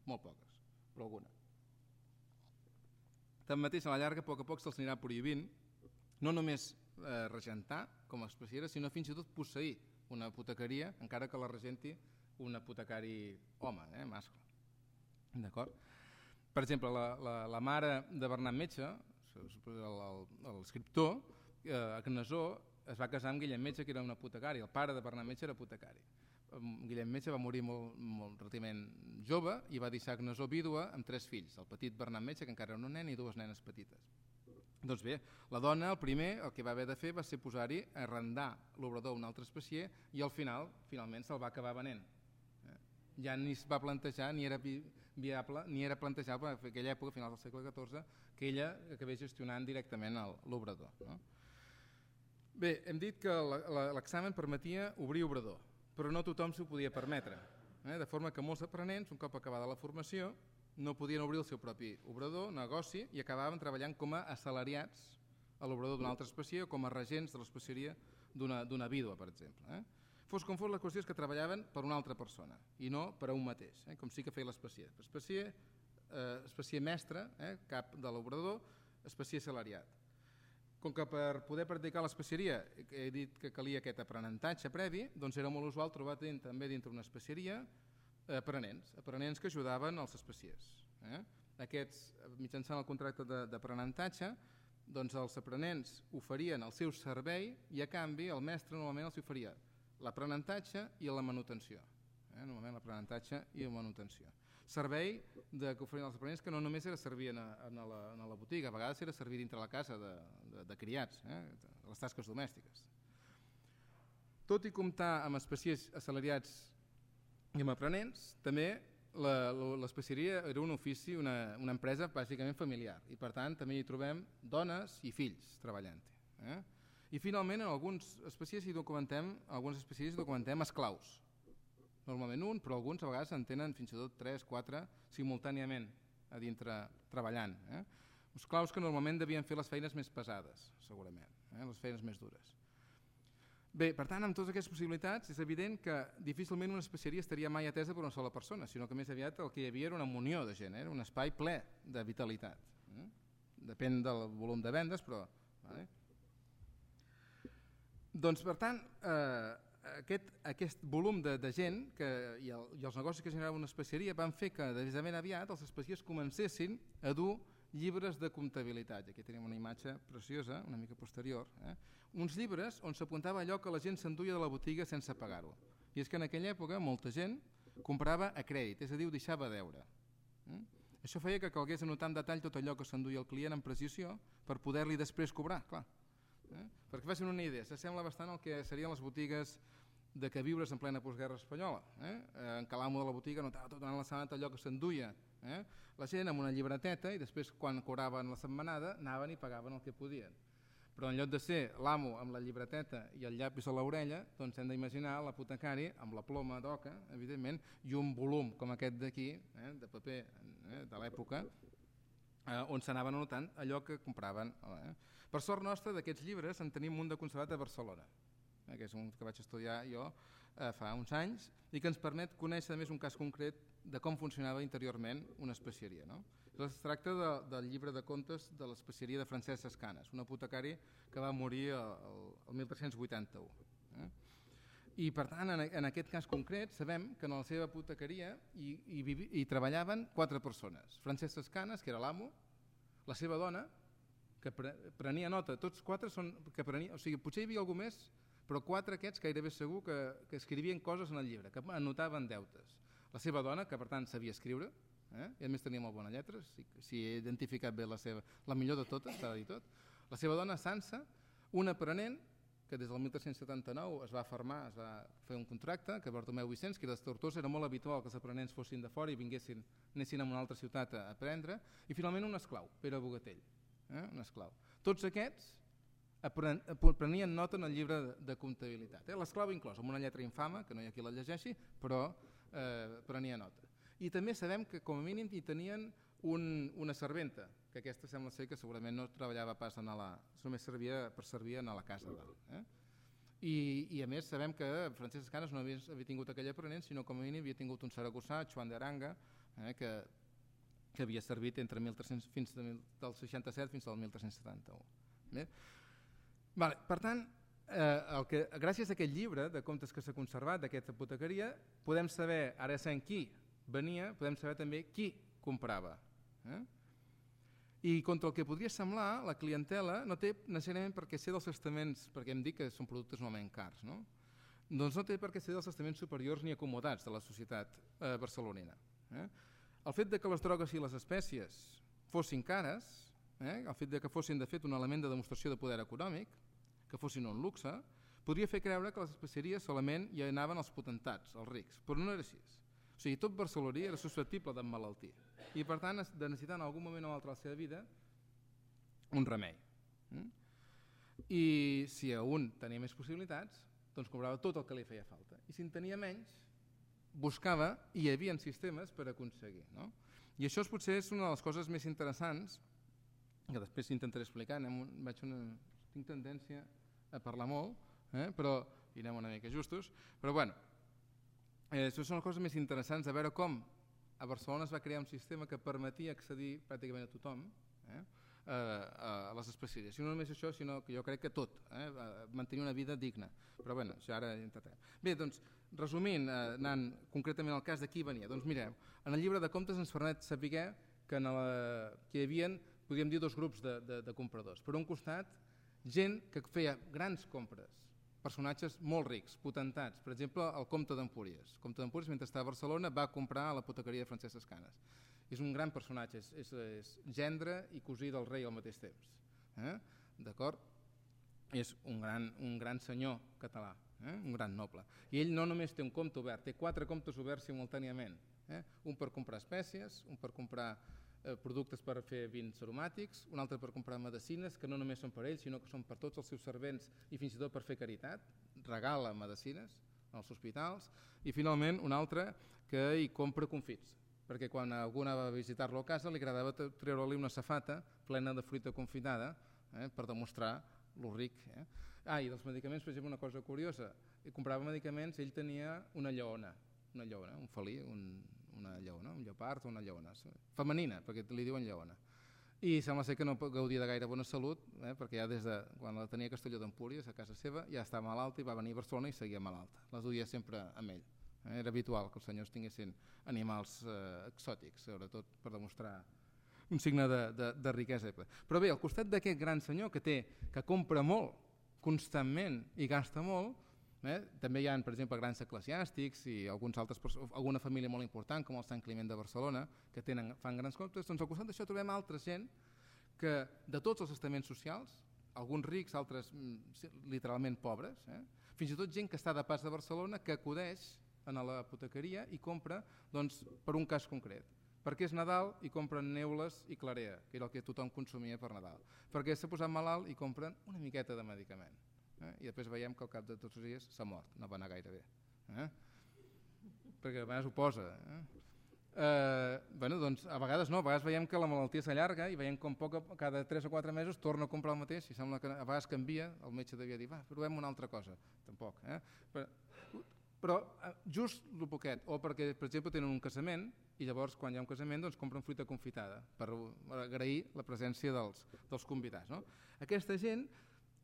Molt poques, però alguna. Tanmateix, a la llarga, a poc se'ls anirà prohibint no només regentar com a especiera, sinó fins i tot posseir una apotecaria, encara que la regenti un apotecari home, mascle. D'acord? Per exemple, la mare de Bernat Metge, l'escriptor, a Cnesó, es va casar amb Guillem Metge, que era un apotecari. El pare de Bernat Metge era apotecari. Guillem Metge va morir molt relativament jove i va deixar a Cnesó vídua amb 3 fills. El petit Bernat Metge, que encara era un nen, i 2 nenes petites. Doncs bé, la dona, el que va haver de fer va ser posar-hi, arrendar l'obrador a un altre especier i al finalment se'l va acabar venent. Ja ni es va plantejar, ni era viable, ni era plantejable en aquella època, a finals del segle XIV, que ella acabés gestionant directament l'obrador. Bé, hem dit que l'examen permetia obrir obrador, però no tothom s'ho podia permetre, de forma que molts aprenents, un cop acabada la formació, no podien obrir el seu propi obrador, negoci, i acabaven treballant com a assalariats a l'obrador d'un altre especier o com a regents de l'especieria d'una vídua, per exemple. Fos com fos, la qüestió és que treballaven per una altra persona i no per a un mateix, com sí que feia l'especier. Especier mestre, cap de l'obrador, especier assalariat. Com que per poder practicar l'especieria he dit que calia aquest aprenentatge previ, doncs era molt usual trobar també dintre una especieria aprenents que ajudaven als especiers. Aquests, mitjançant el contracte d'aprenentatge, doncs els aprenents oferien el seu servei i a canvi el mestre normalment els oferia l'aprenentatge i la manutenció. Normalment l'aprenentatge i la manutenció. Servei que oferien els aprenents que no només era servir a la botiga, a vegades era servir dintre la casa de criats, les tasques domèstiques. Tot i comptar amb especiers assalariats i amb aprenents, també l'especieria era un ofici, una empresa bàsicament familiar, i per tant també hi trobem dones i fills treballant-hi. I finalment en alguns especiers hi documentem esclaus. Normalment un, però alguns a vegades en tenen fins i tot 3, 4 simultàniament a dintre treballant. Esclaus que normalment devien fer les feines més pesades, segurament, les feines més dures. Bé, per tant, amb totes aquestes possibilitats és evident que difícilment una especieria estaria mai atesa per una sola persona, sinó que més aviat el que hi havia era una munió de gent, era un espai ple de vitalitat. Depèn del volum de vendes, però... Doncs, per tant, aquest volum de gent i els negocis que generaven una especieria van fer que, des de ben aviat, els especiers comencessin a dur llibres de comptabilitat. Aquí tenim una imatge preciosa, una mica posterior. Uns llibres on s'apuntava allò que la gent s'enduia de la botiga sense pagar-ho. I és que en aquella època molta gent comprava a crèdit, és a dir, ho deixava a deure. Això feia que calgués anotar en detall tot allò que s'enduia el client amb precisió per poder-li després cobrar, clar. Perquè facin una idea, s'assembla bastant al que serien les botigues de queviures en plena postguerra espanyola. En cada amo de la botiga anotava tot durant la setmana allò que s'enduia la gent amb una llibreteta i després quan cobraven la setmanada anaven i pagaven el que podien. Però en lloc de ser l'amo amb la llibreteta i el llapis a l'orella, doncs hem d'imaginar l'apotecari amb la ploma d'oca, evidentment, i un volum com aquest d'aquí, de paper de l'època, on s'anaven anotant allò que compraven. Per sort nostra, d'aquests llibres en tenim un de conservat a Barcelona, que és un que vaig estudiar jo fa uns anys, i que ens permet conèixer a més un cas concret de com funcionava interiorment una especieria. Es tracta del llibre de contes de l'especieria de Francesc Escanes, un apotecari que va morir el 1381. I per tant, en aquest cas concret, sabem que en la seva apotecaria hi treballaven 4 persones. Francesc Escanes, que era l'amo, la seva dona, que prenia nota, tots 4 són que prenia, o sigui, potser hi havia algú més, però 4 aquests gairebé segur que escrivien coses en el llibre, que anotaven deutes. La seva dona, que per tant sabia escriure, i a més tenia molt bona lletra, si he identificat bé la millor de totes, s'ha de dir tot. La seva dona, Sansa, un aprenent que des del 1379 es va fermar, es va fer un contracte, que Bartomeu Vicenç, que era de Tortosa, era molt habitual que els aprenents fossin de fora i anessin a una altra ciutat a aprendre, i finalment un esclau, Pere Bogatell, un esclau. Tots aquests prenien nota en el llibre de comptabilitat, l'esclau inclòs, amb una lletra infama, que no hi ha qui la llegeixi, però prenia nota. I també sabem que com a mínim hi tenien una serventa, que aquesta sembla ser que segurament no treballava pas només servia per servir a la casa. I a més sabem que Francesc Escanes no havia tingut aquell aprenent, sinó com a mínim havia tingut un saragossà, Joan d'Aranga, que havia servit entre del 67 fins al 1371. Per tant, gràcies a aquest llibre de contes que s'ha conservat d'aquesta apotecaria, podem saber, ara sabem qui venia, podem saber també qui comprava. I contra el que podria semblar, la clientela no té necessàriament per què ser dels estaments, perquè hem dit que són productes normalment cars, doncs no té per què ser dels estaments superiors ni acomodats de la societat barcelonina. El fet que les drogues i les espècies fossin cares, el fet que fossin de fet un element de demostració de poder econòmic, que fossin un luxe, podria fer creure que les especieries solament hi anaven els potentats, els rics, però no era així. O sigui, tot barceloní era susceptible d'emmalaltir i per tant de necessitar en algun moment o altre de la seva vida un remei. I si a un tenia més possibilitats, doncs comprava tot el que li feia falta. I si en tenia menys, buscava i hi havia sistemes per aconseguir. I això potser és una de les coses més interessants, que després intentaré explicar, tinc tendència a parlar molt, però hi anem una mica justos, però bueno, això són les coses més interessants de veure com a Barcelona es va crear un sistema que permetia accedir pràcticament a tothom a les especieries. I no només això, sinó que jo crec que tot, mantenir una vida digna. Però bueno, això ara intentarem. Bé, doncs, resumint, anant concretament al cas de qui venia, doncs mireu, en el llibre de comptes ens permet saber que hi havia, podríem dir, 2 grups de compradors. Per un costat, gent que feia grans compres, personatges molt rics, potentats. Per exemple, el comte d'Empúries. El comte d'Empúries, mentre estava a Barcelona, va comprar a l'apotecaria de Francesc Escanes. És un gran personatge, és gendre i cosí del rei al mateix temps. D'acord? És un gran senyor català, un gran noble. I ell no només té un compte obert, té 4 comptes oberts simultàniament. Un per comprar espècies, un per comprar productes per fer vins aromàtics, un altre per comprar medicines, que no només són per ells, sinó que són per tots els seus servents i fins i tot per fer caritat, regala medicines als hospitals, i finalment un altre que hi compra confits, perquè quan algú anava a visitar-lo a casa li agradava treure-li una safata plena de fruita confitada per demostrar lo ric. I dels medicaments, per exemple, una cosa curiosa, comprava medicaments, ell tenia una lleona, un felí, una lleona, un lleopard o una lleona, femenina, perquè li diuen lleona. I sembla ser que no gaudia de gaire bona salut, perquè ja des de quan la tenia a Castelló d'Empúries, a casa seva, ja estava malalta i va venir a Barcelona i seguia malalta. La duia sempre amb ell. Era habitual que els senyors tinguessin animals exòtics, sobretot per demostrar un signe de riquesa. Però bé, al costat d'aquest gran senyor que compra molt constantment i gasta molt, també hi ha, per exemple, grans eclesiàstics i alguna família molt important, com el Sant Climent de Barcelona, que fan grans comptes. Doncs al costat d'això trobem altra gent que de tots els estaments socials, alguns rics, altres literalment pobres, fins i tot gent que està de pas a Barcelona que acudeix a l'apotecaria i compra per un cas concret. Perquè és Nadal i compren neules i clarea, que era el que tothom consumia per Nadal. Perquè s'ha posat malalt i compren una miqueta de medicament. I després veiem que al cap de tots els dies s'ha mort, no va anar gaire bé. Perquè a vegades ho posa. Doncs a vegades no, a vegades veiem que la malaltia s'allarga i veiem com cada 3 o 4 mesos torna a comprar el mateix i sembla que a vegades canvia, el metge devia dir, va, provem una altra cosa. Tampoc. Però just el poquet, o perquè, per exemple, tenen un casament i llavors quan hi ha un casament doncs compren fruita confitada per agrair la presència dels convidats. No? Aquesta gent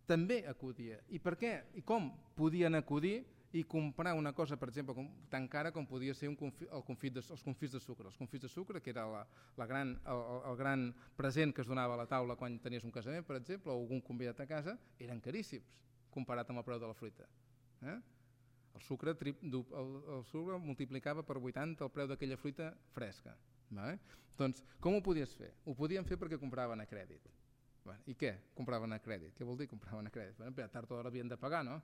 també acudia. I per què? I com podien acudir i comprar una cosa, per exemple, tan cara com podia ser els confits de sucre. Els confits de sucre, que era el gran present que es donava a la taula quan tenies un casament, per exemple, o algun convidat a casa, eren caríssims comparat amb el preu de la fruita. El sucre multiplicava per 80 el preu d'aquella fruita fresca. Doncs com ho podies fer? Ho podien fer perquè compraven a crèdit. I què? Compraven a crèdit. Què vol dir compraven a crèdit? Tard o d'hora havien de pagar, no?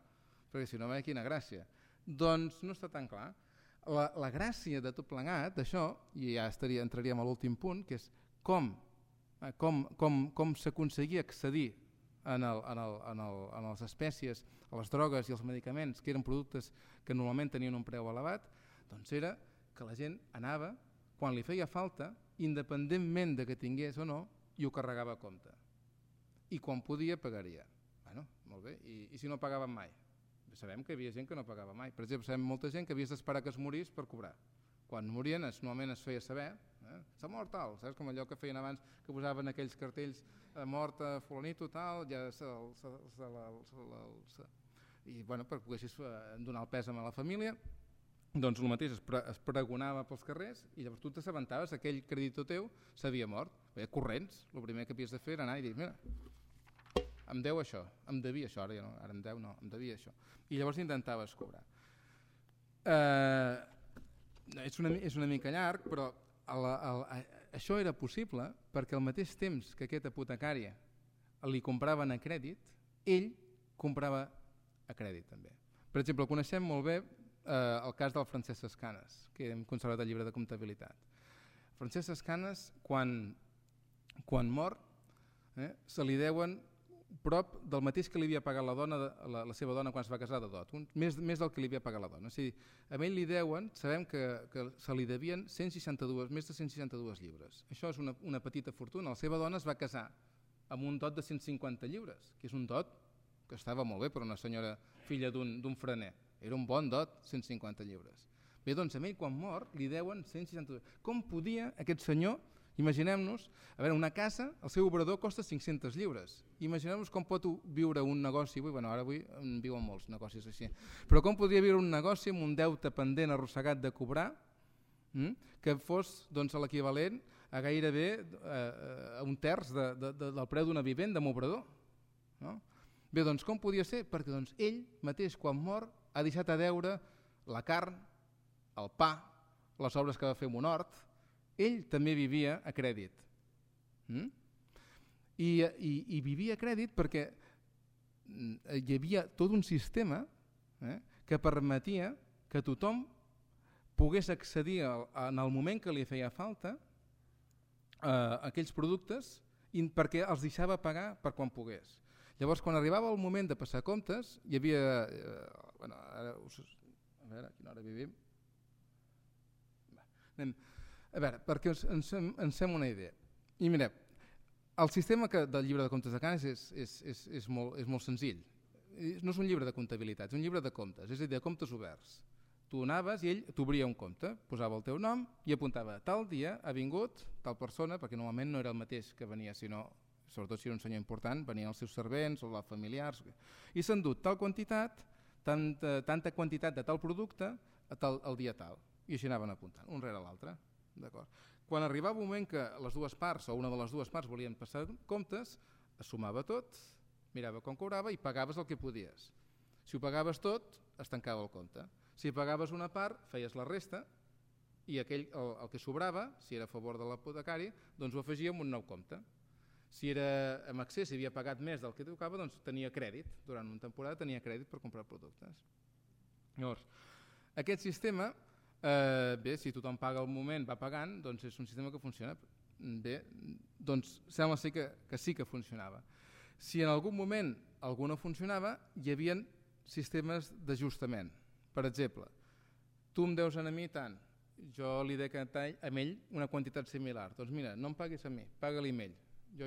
Perquè si no, quina gràcia. Doncs no està tan clar. La gràcia de tot plegat d'això, i ja entraríem a l'últim punt, que és com s'aconseguia accedir a les espècies, a les drogues i als medicaments, que eren productes que normalment tenien un preu elevat, doncs era que la gent anava, quan li feia falta, independentment de que tingués o no, i ho carregava a compte. I quan podia, pagaria. Molt bé, i si no pagaven mai? Sabem que hi havia gent que no pagava mai. Per exemple, sabem molta gent que havies d'esperar que es morís per cobrar. Quan morien, normalment es feia saber, s'ha mort tal, saps? Com allò que feien abans, que posaven aquells cartells, mort a fulanito tal, i per poguessis donar el pèsam a la família, doncs el mateix es pregonava pels carrers i llavors tu t'assabentaves, aquell creditor teu s'havia mort. Corrents, el primer que havies de fer era anar i dir, mira, em deu això, em devia això, ara em deu no, em devia això. I llavors intentaves cobrar. És una mica llarg, però això era possible perquè al mateix temps que aquest apotecari li compraven a crèdit, ell comprava a crèdit també. Per exemple, coneixem molt bé el cas del Francesc Escanes, que hem conservat el llibre de comptabilitat. Francesc Escanes, quan mor, se li deuen prop del mateix que li havia pagat la seva dona quan es va casar de dot, més del que li havia pagat la dona. O sigui, a ell li deuen, sabem que se li devien més de 162 lliures. Això és una petita fortuna. La seva dona es va casar amb un dot de 150 lliures, que és un dot que estava molt bé per una senyora filla d'un frener. Era un bon dot, 150 lliures. Bé, doncs a ell quan mor li deuen 162. Com podia aquest senyor, imaginem-nos, una casa, el seu obrador costa 500 lliures. Imaginem-nos com pot viure un negoci, ara avui en viuen molts negocis així, però com podria viure un negoci amb un deute pendent arrossegat de cobrar, que fos l'equivalent a gairebé un terç del preu d'una vivenda amb obrador. Bé, doncs com podia ser? Perquè ell mateix quan mor ha deixat a deure la carn, el pa, les obres que va fer amb un hort. Ell també vivia a crèdit. I vivia a crèdit perquè hi havia tot un sistema que permetia que tothom pogués accedir en el moment que li feia falta a aquells productes perquè els deixava pagar per quan pogués. Llavors, quan arribava el moment de passar comptes, hi havia... a veure, a quina hora vivim? A veure, perquè ens fem una idea. I mireu, el sistema del llibre de comptes de Canes és molt senzill. No és un llibre de comptabilitat, és un llibre de comptes, és a dir, de comptes oberts. Tu anaves i ell t'obria un compte, posava el teu nom i apuntava tal dia ha vingut tal persona, perquè normalment no era el mateix que venia, sinó, sobretot si era un senyor important, venien els seus servents o els familiars, i s'ha endut tal quantitat, tanta quantitat de tal producte al dia tal. I així anaven apuntant, un rere l'altre. Quan arribava un moment que les dues parts o una de les dues parts volien passar comptes, es sumava tot, mirava com cobrava i pagaves el que podies. Si ho pagaves tot, es tancava el compte. Si pagaves una part, feies la resta i el que sobrava, si era a favor de l'apotecari, doncs ho afegia en un nou compte. Si era en excés, si havia pagat més del que tocava, doncs tenia crèdit. Durant una temporada tenia crèdit per comprar productes. Llavors, aquest sistema Bé, si tothom paga al moment, va pagant, doncs és un sistema que funciona. Bé, doncs sembla ser que sí que funcionava. Si en algun moment algú no funcionava, hi havia sistemes d'ajustament. Per exemple, tu em deus a mi tant, jo li dec a ell una quantitat similar. Doncs mira, no em paguis a mi, paga-li a ell. Jo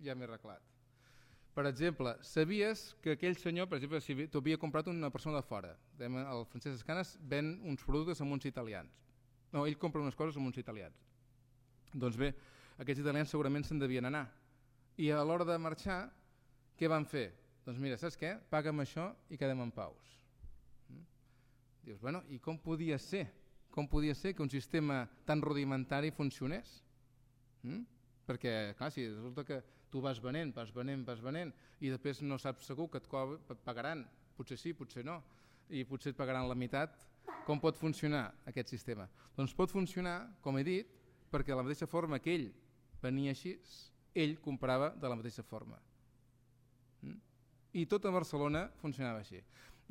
ja m'he arreglat. Per exemple, sabies que aquell senyor, per exemple, si t'ho havia comprat una persona de fora, el Francesc Escanes ven uns productes amb uns italians. No, ell compra unes coses amb uns italians. Doncs bé, aquests italians segurament se'n devien anar. I a l'hora de marxar, què van fer? Doncs mira, saps què? Paga'm això i quedem en paus. Dius, bueno, i com podia ser? Com podia ser que un sistema tan rudimentari funcionés? Perquè, clar, si resulta que tu vas venent i després no saps segur que et pagaran, potser sí, potser no, i potser et pagaran la meitat, com pot funcionar aquest sistema? Doncs pot funcionar, com he dit, perquè de la mateixa forma que ell venia així, ell comprava de la mateixa forma. I tot a Barcelona funcionava així.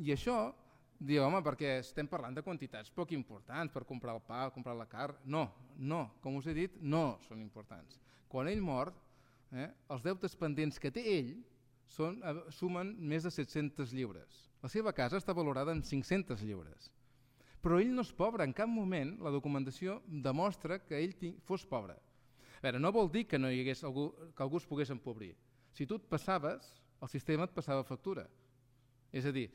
I això, diu, home, perquè estem parlant de quantitats poc importants per comprar el pa, comprar la carn. No, com us he dit, no són importants. Quan ell mor, els deutes pendents que té ell sumen més de 700 lliures. La seva casa està valorada en 500 lliures. Però ell no és pobre, en cap moment la documentació demostra que ell fos pobre. A veure, no vol dir que no hi hagués que algú es pogués empobrir. Si tu et passaves, el sistema et passava factura. És a dir,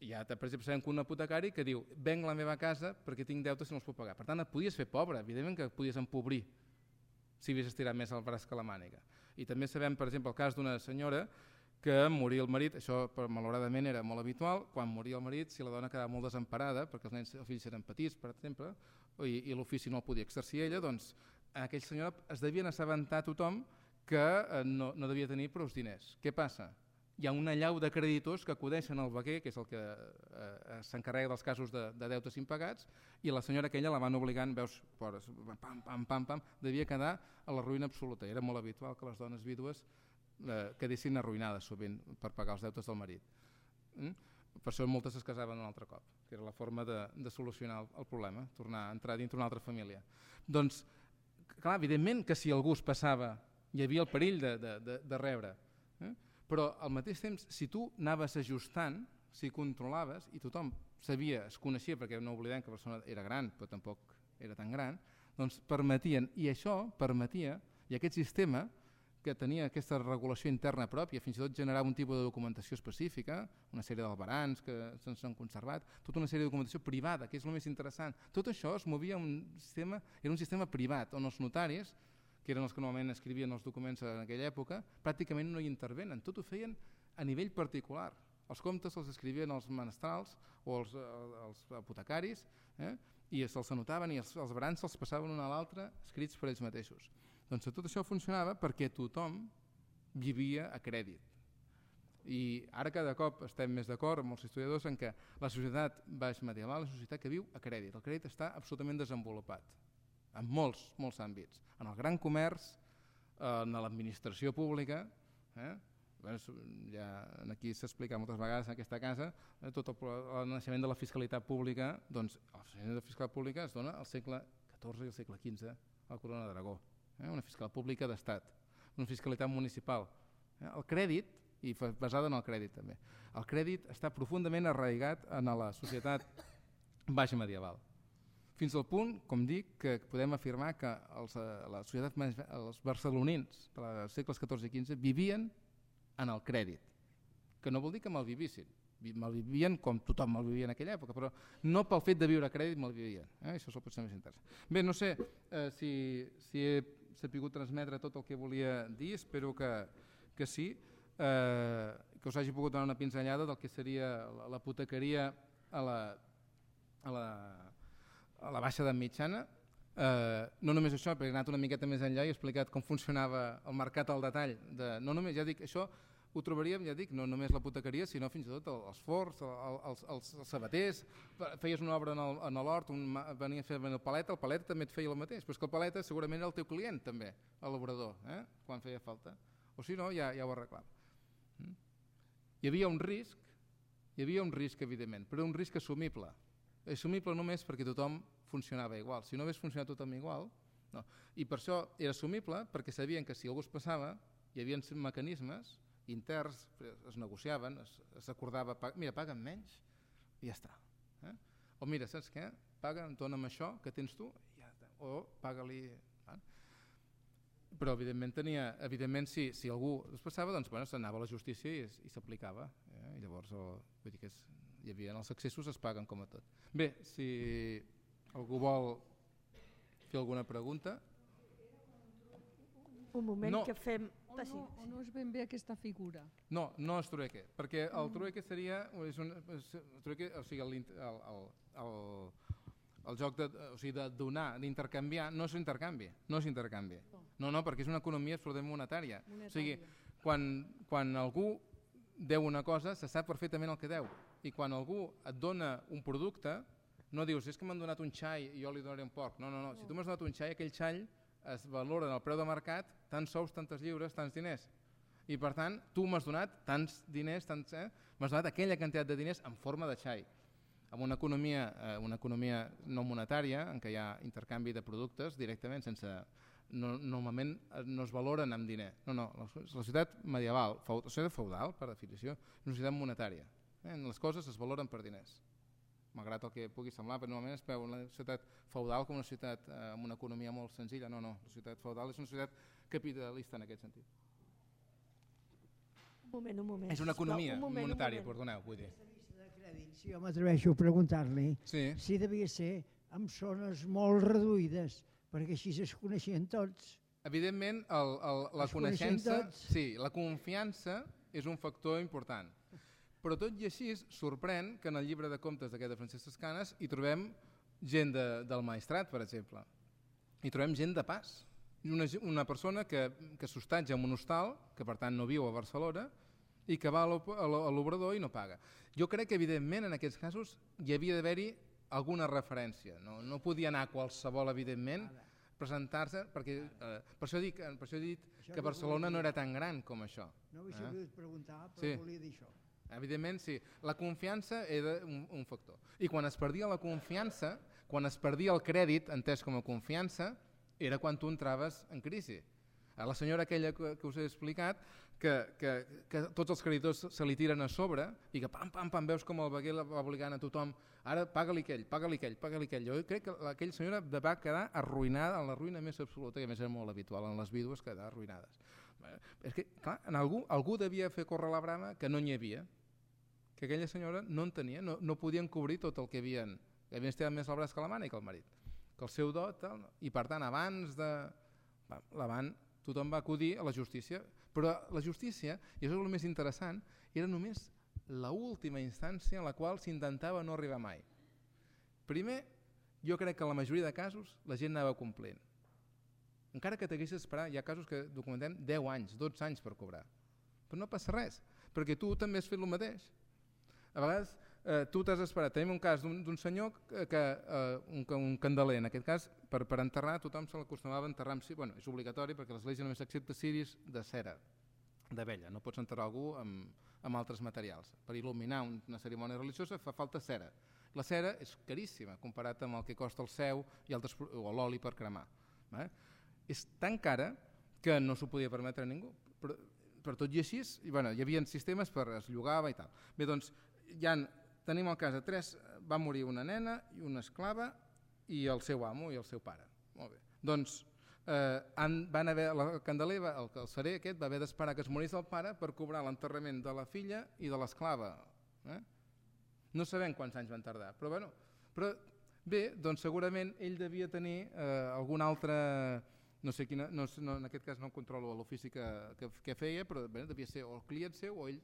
ja per exemple sabem que un apotecari que diu venc la meva casa perquè tinc deutes i no els puc pagar. Per tant, et podies fer pobre, evidentment que et podies empobrir si havies estirat més el braç que la màniga. I també sabem, per exemple, el cas d'una senyora que moria el marit, això malauradament era molt habitual, quan moria el marit, si la dona quedava molt desemparada, perquè els fills eren petits, per exemple, i l'ofici no el podia exercir ella, doncs aquella senyora es devien assabentar tothom que no devia tenir prou diners. Què passa? Hi ha una llau de creditors que acudeixen al veguer, que és el que s'encarrega dels casos de deutes impagats, i la senyora aquella la van obligant, veus, pam, devia quedar a la ruïna absoluta. Era molt habitual que les dones vídues quedessin arruïnades sovint per pagar els deutes del marit. Per això moltes es casaven un altre cop, que era la forma de solucionar el problema, tornar a entrar dintre una altra família. Doncs, clar, evidentment que si algú es passava hi havia el perill de rebre, però al mateix temps, si tu anaves ajustant, si controlaves, i tothom sabia, es coneixia, perquè no oblidem que la persona era gran, però tampoc era tan gran, doncs permetien, i això permetia, i aquest sistema que tenia aquesta regulació interna pròpia, fins i tot generava un tipus de documentació específica, una sèrie d'albarans que s'han conservat, tota una sèrie de documentació privada, que és el més interessant. Tot això es movia era un sistema privat, on els notaris, que eren els que normalment escrivien els documents en aquella època, pràcticament no hi intervenen, tot ho feien a nivell particular. Els comptes els escrivien els menestrals o els apotecaris, i se'ls anotaven i els barans se'ls passaven un a l'altre escrits per ells mateixos. Doncs tot això funcionava perquè tothom vivia a crèdit. I ara cada cop estem més d'acord amb els historiadors en què la societat baixmedieval és una societat que viu a crèdit. El crèdit està absolutament desenvolupat en molts àmbits. En el gran comerç, en l'administració pública, ja aquí s'ha explicat moltes vegades en aquesta casa, tot el naixement de la fiscalitat pública, doncs el naixement de la fiscalitat pública es dona al segle XIV i al segle XV a la Corona d'Aragó. Una fiscalitat pública d'estat, una fiscalitat municipal. El crèdit, i basada en el crèdit també, el crèdit està profundament arraigat en la societat baixmedieval. Fins al punt, com dic, que podem afirmar que els barcelonins dels segles XIV i XV vivien en el crèdit, que no vol dir que malvivissin, malvivien com tothom malvivia en aquella època, però no pel fet de viure a crèdit malvivien. Això pot ser més interessant. Bé, no sé si he sapigut transmetre tot el que volia dir, espero que sí, que us hagi pogut donar una pinzellada del que seria l'apotecaria a la baixa edat mitjana. No només això, perquè he anat una miqueta més enllà i he explicat com funcionava el mercat al detall. No només, ja dic, això ho trobaríem, ja dic, no només l'apotecaria, sinó fins i tot els forns, els sabaters. Feies una obra en l'hort, venia a fer el paleta també et feia el mateix, però és que el paleta segurament era el teu client també, el labrador, quan feia falta. O si no, ja ho arreglava. Hi havia un risc, evidentment, però un risc assumible. assumible només perquè tothom funcionava igual. Si no hagués funcionat tothom igual, no. I per això era assumible, perquè sabien que si algú es passava, hi havia mecanismes interns, es negociaven, es acordava, mira, paga'm menys i ja està. O mira, saps què? Dona'm això que tens tu, o paga-li... Però evidentment si algú es passava, doncs s'anava a la justícia i s'aplicava. I llavors vull dir que hi havia els accessos es paguen com a tot. Bé, si algú vol fer alguna pregunta... Un moment que fem... O no és ben bé aquesta figura? No és trueque, perquè el trueque seria... El joc de donar, d'intercanviar, no és intercanvi. No, perquè és una economia absolutament monetària. O sigui, quan algú deu una cosa, se sap perfectament el que deu. I quan algú et dona un producte, no dius, és que m'han donat un xai i jo li donaré un porc. No. Si tu m'has donat un xai, aquell xai es valora en el preu de mercat, tants sous, tantes lliures, tants diners. I per tant, tu m'has donat tants diners, m'has donat aquella quantitat de diners en forma de xai. En una economia no monetària, en què hi ha intercanvi de productes directament, normalment no es valoren amb diner. No, la societat medieval, la societat feudal, per definició, és una societat monetària. Les coses es valoren per diners. Malgrat el que pugui semblar, però normalment es veu una societat feudal com una societat amb una economia molt senzilla. No, la societat feudal és una societat capitalista en aquest sentit. Un moment. És una economia monetària, perdoneu, vull dir. Si jo m'atreveixo a preguntar-li si devia ser en zones molt reduïdes, perquè així es coneixien tots. Evidentment, la coneixença, la confiança és un factor important. Però tot i així sorprèn que en el llibre de comptes d'aquest de Francesc Escanes hi trobem gent del Maestrat, per exemple. Hi trobem gent de pas. Una persona que s'hostatja en un hostal, que per tant no viu a Barcelona, i que va a l'obrador i no paga. Jo crec que evidentment en aquests casos hi havia d'haver-hi alguna referència. No podia anar qualsevol, evidentment, presentar-se, perquè per això he dit que Barcelona no era tan gran com això. No ho he sabut preguntar, però volia dir això. Evidentment, sí. La confiança era un factor. I quan es perdia la confiança, quan es perdia el crèdit, entès com a confiança, era quan tu entraves en crisi. La senyora aquella que us he explicat, que tots els creditors se li tiren a sobre i que pam, veus com el veguer va obligant a tothom, ara paga-li aquell. Jo crec que aquella senyora va quedar arruïnada, en la ruïna més absoluta, i a més era molt habitual en les vídues quedar arruïnades. És que, clar, algú devia fer córrer la brama que no n'hi havia, que aquella senyora no en tenia, no podien cobrir tot el que havien estirat més el braç que la màniga i que el marit, que el seu dot, i per tant abans tothom va acudir a la justícia, però la justícia, i això és el més interessant, era només l'última instància en la qual s'intentava no arribar mai. Primer, jo crec que en la majoria de casos la gent anava complint. Encara que t'haguessis d'esperar, hi ha casos que documentem 10 anys, 12 anys per cobrar. Però no passa res, perquè tu també has fet el mateix. A vegades tu t'has esperat. Tenim un cas d'un senyor, un candeler, en aquest cas, per enterrar, tothom se l'acostumava a enterrar amb ciris. Bueno, és obligatori perquè l'Església només accepta ciris de cera, de vella. No pots enterrar algú amb altres materials. Per il·luminar una cerimònia religiosa fa falta cera. La cera és caríssima comparat amb el que costa el seu o l'oli per cremar. És tan cara que no s'ho podia permetre a ningú. Per tot i així, hi havia sistemes per es llogava i tal. Bé, doncs, tenim el cas de 3, va morir una nena i una esclava i el seu amo i el seu pare. Molt bé. Doncs el candeler, el cerer aquest, va haver d'esperar que es morís el pare per cobrar l'enterrament de la filla i de l'esclava. No sabem quants anys van tardar, però bé, doncs segurament ell devia tenir algun altre, no sé quina, en aquest cas no controlo l'ofici que feia, però devia ser o el client seu o ell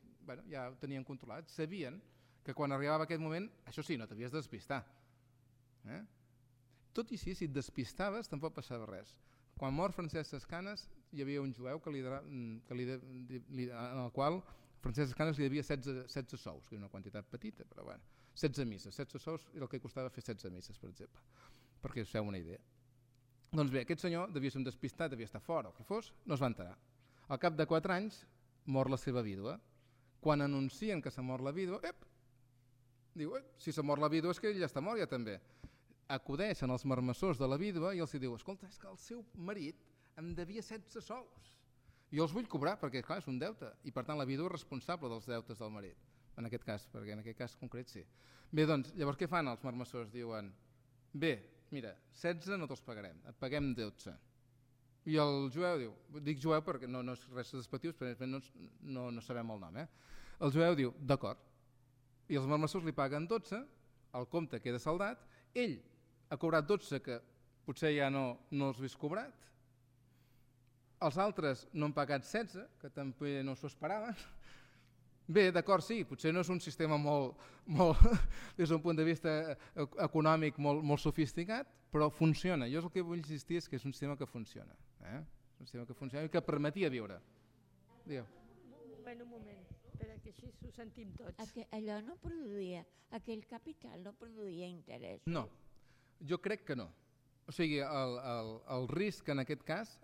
ja ho tenien controlat, sabien que quan arribava aquest moment, això sí, no t'havies de despistar. Tot i així, si et despistaves, tampoc passava res. Quan mor Francesc Escanes, hi havia un jueu en el qual Francesc Escanes li devia 16 sous, que és una quantitat petita, però 16 misses. 16 sous era el que costava fer 16 misses, per exemple, perquè us feu una idea. Doncs bé, aquest senyor devia ser un despistat, devia estar fora, o que fos, no es va enterar. Al cap de 4 anys mor la seva vídua. Quan anuncien que s'ha mort la vídua, Diu, si se mor la vídua és que ell ja està mort ja també. Acudeixen els marmessors de la vídua i els diu, escolta, és que el seu marit em devia 16 sous. Jo els vull cobrar perquè, clar, és un deute i per tant la vídua és responsable dels deutes del marit, en aquest cas, perquè en aquest cas concret sí. Bé, doncs, llavors què fan els marmessors? Diuen, bé, mira, 16 no te'ls pagarem, et paguem 12. I el jueu diu, dic jueu perquè no és res despectiu, perquè no sabem el nom, El jueu diu, d'acord, i els marmessors li paguen 12, el compte queda saldat, ell ha cobrat 12 que potser ja no els hagués cobrat, els altres no han pagat 16, que també no s'ho esperaven. Bé, d'acord, sí, potser no és un sistema molt des d'un punt de vista econòmic molt sofisticat, però funciona. Jo el que vull insistir és que és un sistema que funciona. Un sistema que funciona i que permetia viure. Digueu. Un moment, perquè així ho sentim tots. Allò no produïa, aquell capital no produïa interès. No, jo crec que no. O sigui, el risc en aquest cas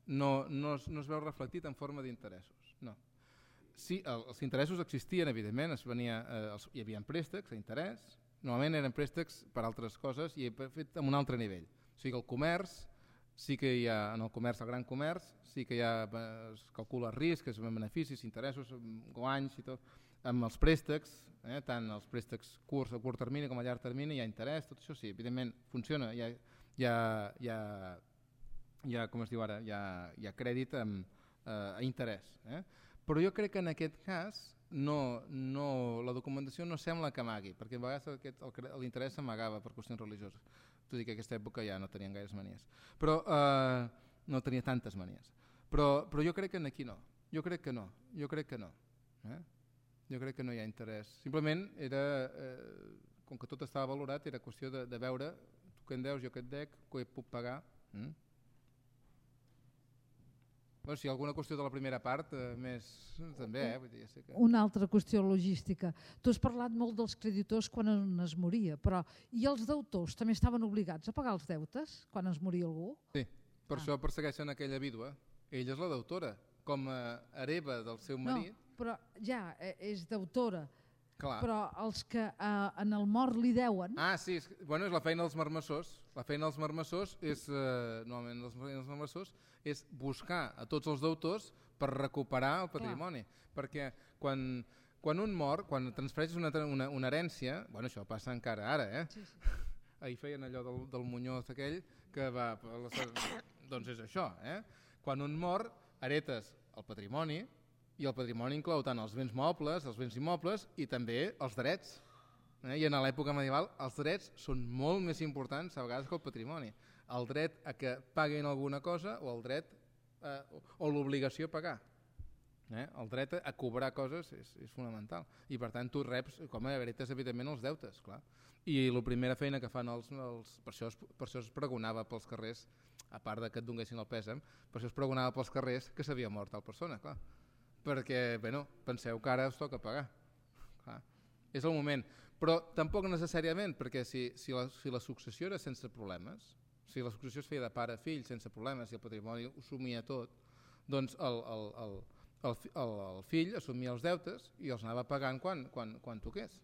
no es veu reflectit en forma d'interessos, no. Sí, els interessos existien, evidentment, hi havia préstecs a interès, normalment eren préstecs per altres coses i fet en un altre nivell. O sigui, el comerç, sí que hi ha, en el comerç, el gran comerç, sí que es calcula risc, es beneficis, interessos, guanys i tot. Amb els préstecs, tant els préstecs curts a curt termini com a llarg termini, hi ha interès, tot això sí, evidentment funciona, hi ha com es diu ara, hi ha crèdit a interès. Però jo crec que en aquest cas la documentació no sembla que amagui, perquè a vegades l'interès s'amagava per qüestions religioses, tot i que en aquesta època ja no tenien gaires manies, però no tenia tantes manies. Però jo crec que aquí no, jo crec que no. Jo crec que no hi ha interès. Simplement era, com que tot estava valorat, era qüestió de veure tu què en deus, jo què et dec, què puc pagar. Bueno, si hi ha alguna qüestió de la primera part, més també. Vull dir, ja sé que... Una altra qüestió logística. Tu has parlat molt dels creditors quan es moria, però i els deutors també estaven obligats a pagar els deutes quan es moria algú? Sí, per això persegueixen aquella vídua. Ella és la deutora, com a hereva del seu marit. No, però ja és deuttora. Clar. Però els que en el mort li deuen... Ah, sí, és la feina dels marmessors. La feina dels marmessors és, normalment els marmessors, és buscar a tots els deutors per recuperar el patrimoni. Perquè quan un mor, quan transfereixes una herència, bueno, això passa encara ara, Sí. Ahir feien allò del Muñoz aquell, que va... Doncs és això, Quan un mor, heretes el patrimoni, i el patrimoni inclou tant els béns mobles, els béns immobles i també els drets. I en l'època medieval els drets són molt més importants a vegades que el patrimoni. El dret a que paguin alguna cosa o el dret o l'obligació a pagar. El dret a cobrar coses és fonamental. I per tant tu reps com a heretes evidentment els deutes, clar. I la primera feina que fan per això es pregonava pels carrers, a part que et donguessin el pèsam, per això es pregonava pels carrers que s'havia mort tal persona, clar. Perquè, penseu que ara us toca pagar. Clar. És el moment. Però tampoc necessàriament, perquè si la successió era sense problemes, si la successió es feia de pare a fill sense problemes i el patrimoni ho assumia tot, doncs el fill assumia els deutes i els anava pagant quan toqués.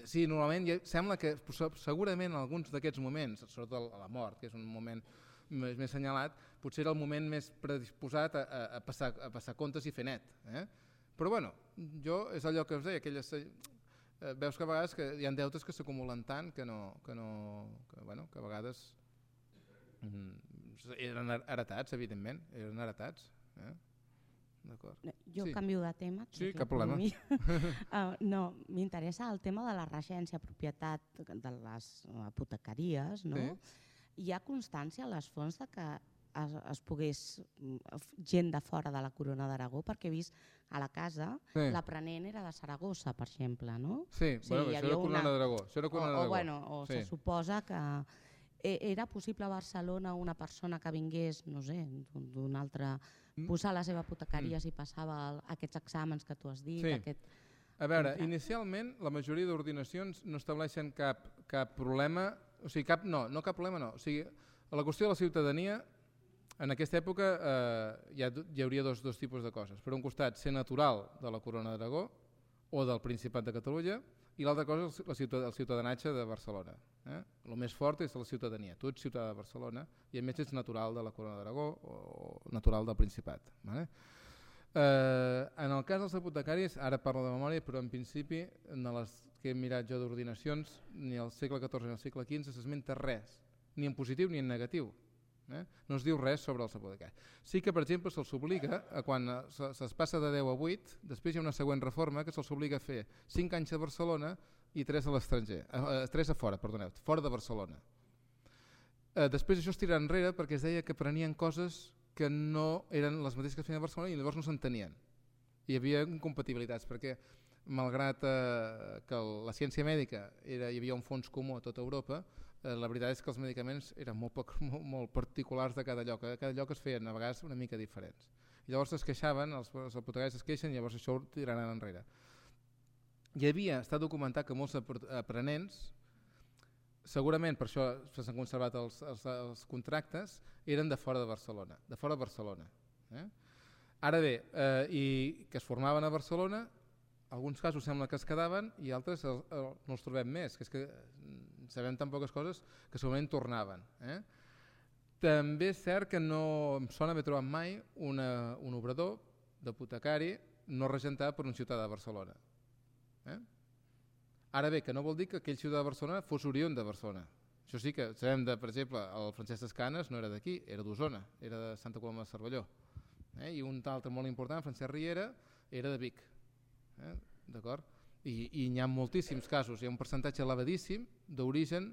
Sí, normalment sembla que segurament en alguns d'aquests moments, sobretot la mort, que és un moment més assenyalat, potser era el moment més predisposat a passar comptes i fer net. Però bueno, és allò que us deia, veus que a vegades hi ha deutes que s'acumulen tant que a vegades eren heretats, evidentment, eren heretats. Jo canvio de tema. Sí, cap problema. No, m'interessa el tema de la regència, propietat de les apotecaries, no? Hi ha constància a les fonts que es pogués gent de fora de la Corona d'Aragó, perquè he vist a la casa l'aprenent era de Saragossa, per exemple, no? Sí, això era Corona d'Aragó. O se suposa que era possible a Barcelona una persona que vingués, no sé, d'un altre, posar la seva apotecaria si passava aquests exàmens que tu has dit. A veure, inicialment la majoria d'ordinacions no estableixen cap problema, o sigui, no cap problema no. O sigui, a la qüestió de la ciutadania, en aquesta època hi hauria dos tipus de coses. Per un costat, ser natural de la Corona d'Aragó o del Principat de Catalunya, I l'altra cosa és el ciutadanatge de Barcelona. El més fort és la ciutadania. Tu ets ciutadà de Barcelona i a més ets natural de la Corona d'Aragó o natural del Principat. Vale? En el cas dels apotecaris, ara parlo de memòria, però en principi en les que he mirat jo d'ordinacions, ni al segle XIV ni al segle XV s'esmenta res, ni en positiu ni en negatiu. No es diu res sobre els apotecaris. Sí que, per exemple, se'ls obliga, quan se'ls passa de 10 a 8, després hi ha una següent reforma que se'ls obliga a fer 5 anys a Barcelona i 3 a l'estranger, 3 a fora, perdoneu, fora de Barcelona. Després això es tira enrere perquè es deia que prenien coses que no eren les mateixes que es feien a Barcelona i llavors no s'entenien. Hi havia incompatibilitats perquè malgrat que la ciència mèdica hi havia un fons comú a tota Europa, la veritat és que els medicaments eren molt particulars de cada lloc. A cada lloc es feien a vegades una mica diferents. I llavors es queixaven, els apotecaris es queixen i llavors això ho tiraran enrere. Està documentat que molts aprenents, segurament per això s'han conservat els contractes, eren de fora de Barcelona. Ara bé, i que es formaven a Barcelona, alguns casos sembla que es quedaven i altres no els trobem més, que és que sabem tan poques coses que segurament tornaven. També és cert que no em sona haver trobat mai un obrador d'apotecari no regentat per un ciutadà de Barcelona. Ara bé, que no vol dir que aquell ciutadà de Barcelona fos oriünd de Barcelona. Això sí que sabem, per exemple, el Francesc Escanes no era d'aquí, era d'Osona, era de Santa Coloma de Cervelló. I un altre molt important, Francesc Riera, era de Vic. D'acord? I n'hi ha moltíssims casos, hi ha un percentatge elevadíssim d'origen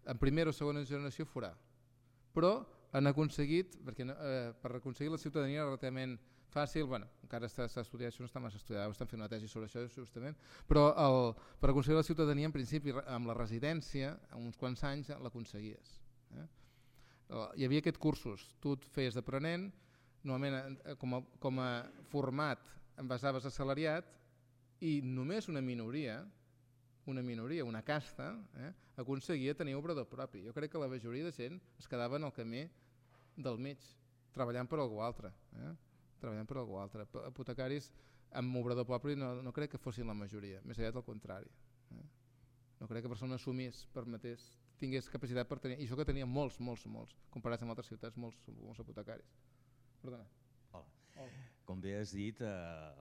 en primera o segona generació forà, però han aconseguit, perquè per aconseguir la ciutadania relativament fàcil, encara s'ha estudiat, això no està massa estudiat, estan fent una tesi sobre això justament, però per aconseguir la ciutadania en principi amb la residència, en uns quants anys l'aconseguies. Hi havia aquests cursos, tu et feies d'aprenent, normalment com a format em basaves assalariat, i només una minoria, una casta, aconseguia tenir obrador propi. Jo crec que la majoria de gent es quedava en el camí del mig, treballant per algú altre. Apotecaris amb obrador propi no crec que fossin la majoria, més aviat al contrari. No crec que persona assumís, permetés, tingués capacitat per tenir, i això que tenia molts, comparats amb altres ciutats, molts apotecaris. Perdona. Hola. Com bé has dit,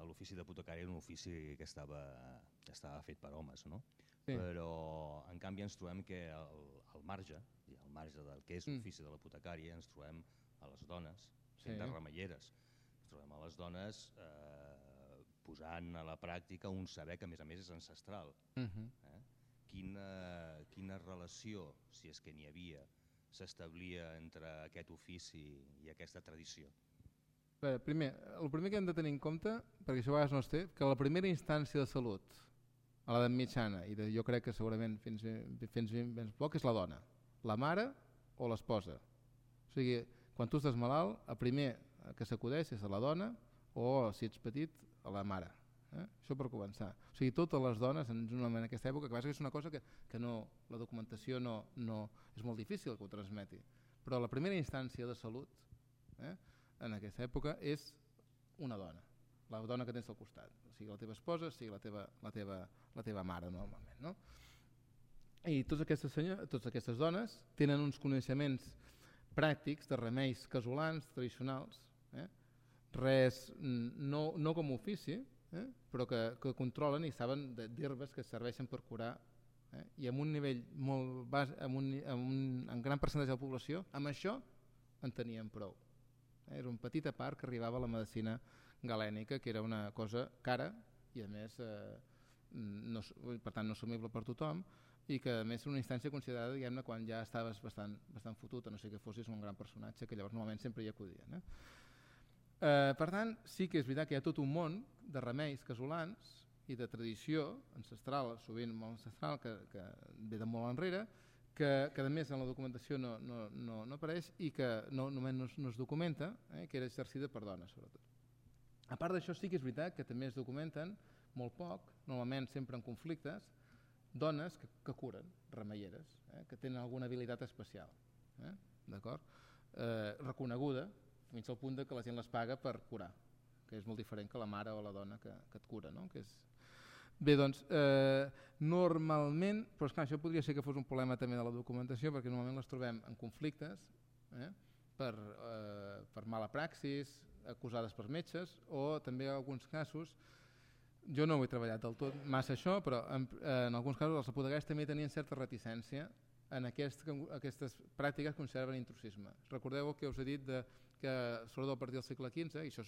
l'ofici d'apotecari era un ofici que estava fet per homes, no? Sí. Però en canvi ens trobem que al marge del que és l'ofici de l'apotecari ens trobem a les dones sent de remeieres. Ens trobem a les dones posant a la pràctica un saber que a més és ancestral. Quina relació, si és que n'hi havia, s'establia entre aquest ofici i aquesta tradició? El primer que hem de tenir en compte, perquè això a vegades no es té, que la primera instància de salut a l'edat mitjana, i jo crec que segurament fins ben poc, és la dona, la mare o l'esposa. O sigui, quan tu estàs malalt, el primer que s'acudeix és a la dona o, si ets petit, a la mare. Això per començar. O sigui, totes les dones en aquesta època, que és una cosa que la documentació no és molt difícil que ho transmeti, però la primera instància de salut en aquesta època és una dona, la dona que tens al costat, sigui la teva esposa, sigui la teva mare normalment, no? I totes aquestes dones tenen uns coneixements pràctics de remeis casolans tradicionals, res no com ofici, però que controlen i saben d'herbes que serveixen per curar, i amb un nivell molt baix, amb un gran percentatge de la població, amb això en tenien prou. Era una petita part que arribava a la medicina galènica, que era una cosa cara i a més per tant no assumible per tothom, i que a més era una instància considerada, diguem-ne, quan ja estaves bastant fotut, a no ser que fossis un gran personatge, que llavors normalment sempre hi acudien. Per tant, sí que és veritat que hi ha tot un món de remeis casolans i de tradició ancestral, sovint molt ancestral, que ve de molt enrere, que a més en la documentació no apareix i que només no es documenta, que era exercida per dones sobretot. A part d'això sí que és veritat que també es documenten molt poc, normalment sempre en conflictes, dones que curen, remeieres, que tenen alguna habilitat especial, reconeguda fins al punt que la gent les paga per curar, que és molt diferent que la mare o la dona que et cura, no? Bé, doncs, normalment, però esclar, això podria ser que fos un problema també de la documentació, perquè normalment les trobem en conflictes, per mala praxis, acusades per metges, o també en alguns casos, jo no ho he treballat del tot massa això, però en alguns casos els apotecaris també tenien certa reticència en aquestes pràctiques que consideraven intrusisme. Recordeu el que us he dit que sobretot a partir del segle XV, i això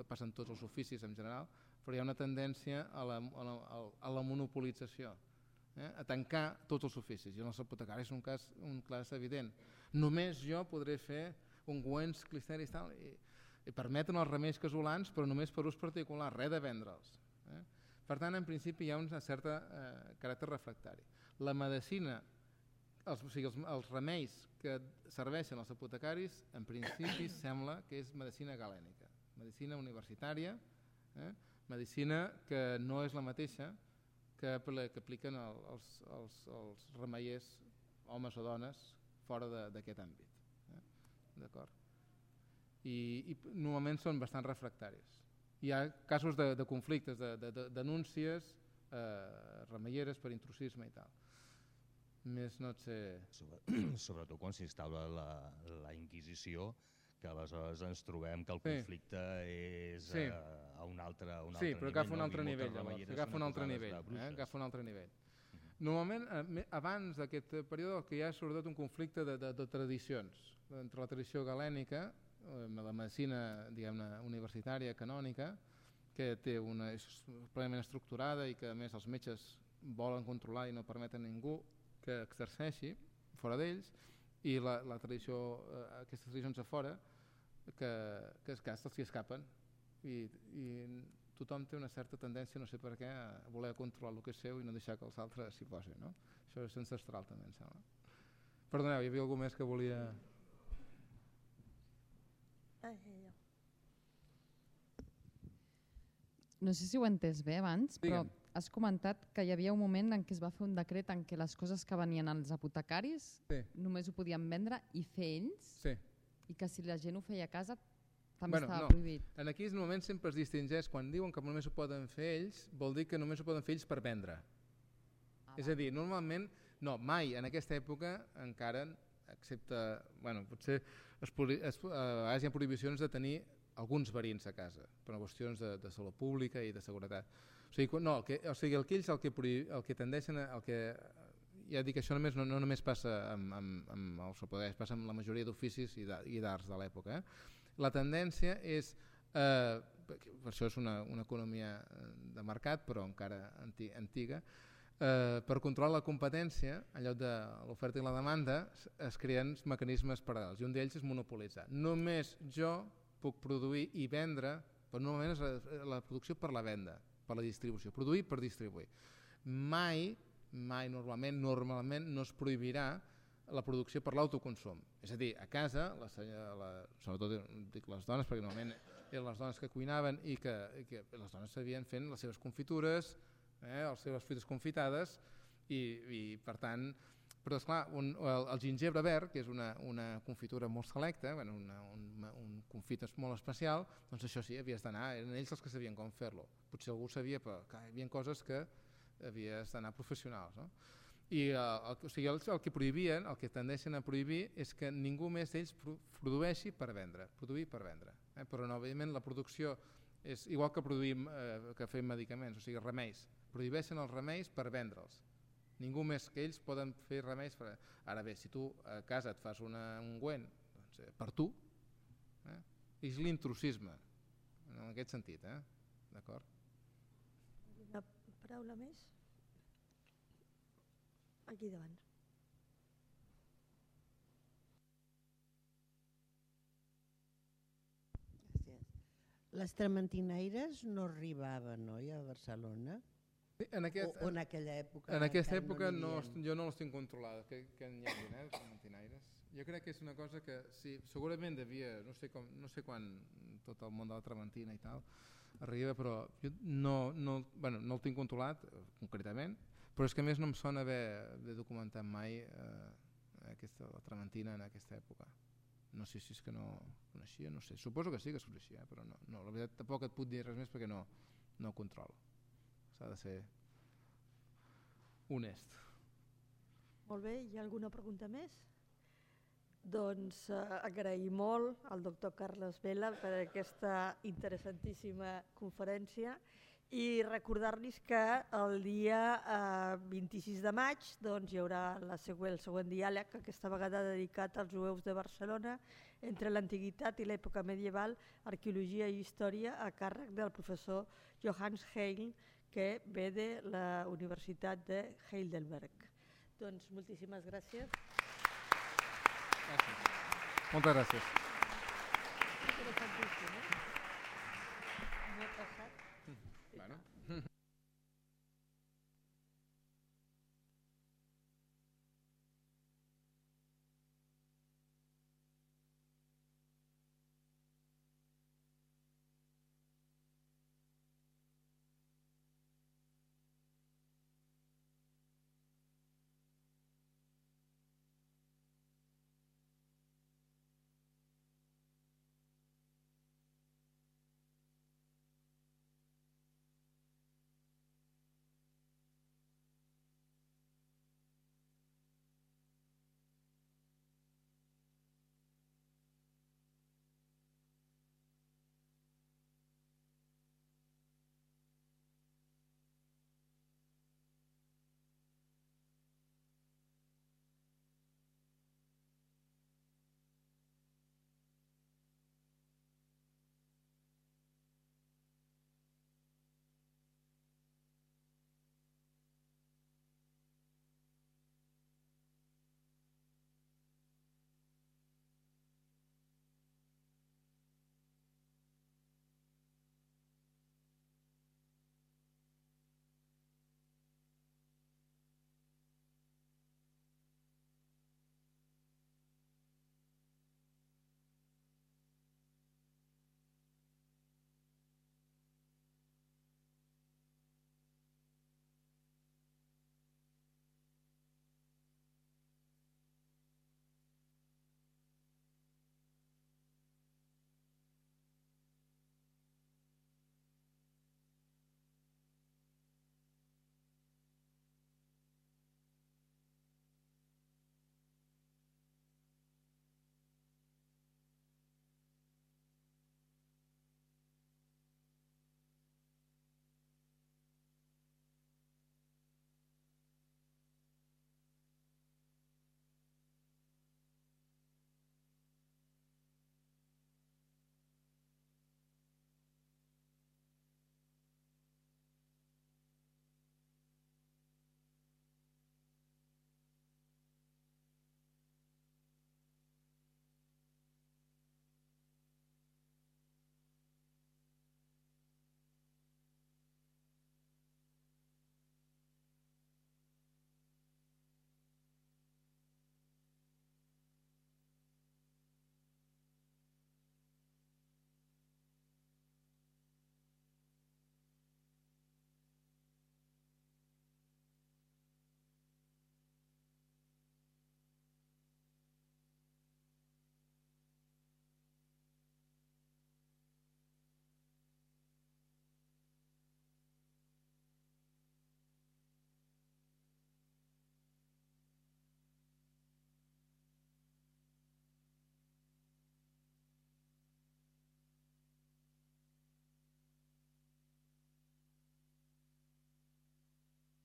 passa en tots els oficis en general, però hi ha una tendència a la monopolització, a tancar tots els oficis, i en els apotecaris és un cas evident. Només jo podré fer ungüents, clisteris i permeten els remeis casolans, però només per ús particular, res de vendre'ls. Per tant, en principi hi ha un cert caràcter refractari. La medicina, els remeis que serveixen als apotecaris, en principi sembla que és medicina galènica, medicina universitària, medicina que no és la mateixa que apliquen els remeiers, homes o dones, fora d'aquest àmbit. D'acord? I normalment són bastant refractaris. Hi ha casos de conflictes, de denúncies remeieres per intrusisme i tal. Més no et sé... Sobretot quan s'instal·la la Inquisició, que aleshores ens trobem que el conflicte és a un altre nivell. Sí, però agafa un altre nivell. Agafa un altre nivell. Normalment, abans d'aquest període, el que hi ha és sobretot un conflicte de tradicions, entre la tradició galènica, la medicina universitària, canònica, que és plenament estructurada i que a més els metges volen controlar i no permeten a ningú que exerceixi fora d'ells, i la tradició, aquestes tradicions a fora, que s'hi escapen, i tothom té una certa tendència, no sé per què, a voler controlar el que és seu i no deixar que els altres s'hi posin, no? Això és ancestral també, em sembla. Perdoneu, hi havia algú més que volia... No sé si ho he entès bé abans, però has comentat que hi havia un moment en què es va fer un decret en què les coses que venien als apotecaris només ho podien vendre i fer ells, i que si la gent ho feia a casa també estava prohibit. En aquells moments sempre es distingeix, quan diuen que només ho poden fer ells, vol dir que només ho poden fer ells per vendre. És a dir, normalment, no, mai en aquesta època encara, excepte, potser hi ha prohibicions de tenir alguns verins a casa, per qüestions de salut pública i de seguretat. Aquells el que tendeixen, ja dic, això no només passa amb els apotecaris, passa amb la majoria d'oficis i d'arts de l'època. La tendència és, per això és una economia de mercat, però encara antiga, per controlar la competència, en lloc de l'oferta i la demanda, es creen mecanismes paral·lels, i un d'ells és monopolitzar. Només jo puc produir i vendre, però normalment és la producció per la venda, per la distribució, produir per distribuir. Mai normalment no es prohibirà la producció per l'autoconsum. És a dir, a casa, sobretot dic les dones, perquè normalment eren les dones que cuinaven i que les dones sabien fent les seves confitures, les seves fruites confitades, i per tant, però esclar, el gingebre verd, que és una confitura molt selecta, un confit molt especial, doncs això sí, havies d'anar, eren ells els que sabien com fer-lo. Potser algú sabia, però hi havia coses que havies d'anar professionals, no? I el que prohibien, el que tendeixen a prohibir, és que ningú més d'ells produeixi per vendre, produir per vendre. Però òbviament la producció és igual que produïm, que fem medicaments, o sigui remeis, prohibeixen els remeis per vendre'ls. Ningú més que ells poden fer remeis. Ara bé, si tu a casa et fas un ungüent per tu, és l'intrusisme, en aquest sentit. D'acord? Una paraula més? Aquí davant. Gràcies. Les trementinaires no arribaven, oi, a Barcelona? En aquella època? En aquesta època jo no les tinc controlades, que n'hi hagi, trementinaires. Jo crec que és una cosa que segurament devia, no sé quan tot el món de la trementina i tal arriba, però jo no el tinc controlat concretament, però és que a més no em sona haver documentat mai la trementina en aquesta època. No sé si és que no coneixia, no sé. Suposo que sí que es coneixia, però no. La veritat tampoc et puc dir res més perquè no ho controlo. S'ha de ser honest. Molt bé, hi ha alguna pregunta més? Doncs agrair molt al doctor Carles Vela per aquesta interessantíssima conferència i recordar-los que el dia 26 de maig hi haurà el següent diàleg, aquesta vegada dedicat als jueus de Barcelona entre l'antiguitat i l'època medieval, arqueologia i història, a càrrec del professor Johannes Heil, que ve de la Universitat de Heidelberg. Doncs moltíssimes gràcies. Gràcies. Moltes gràcies. Interessantíssim, eh?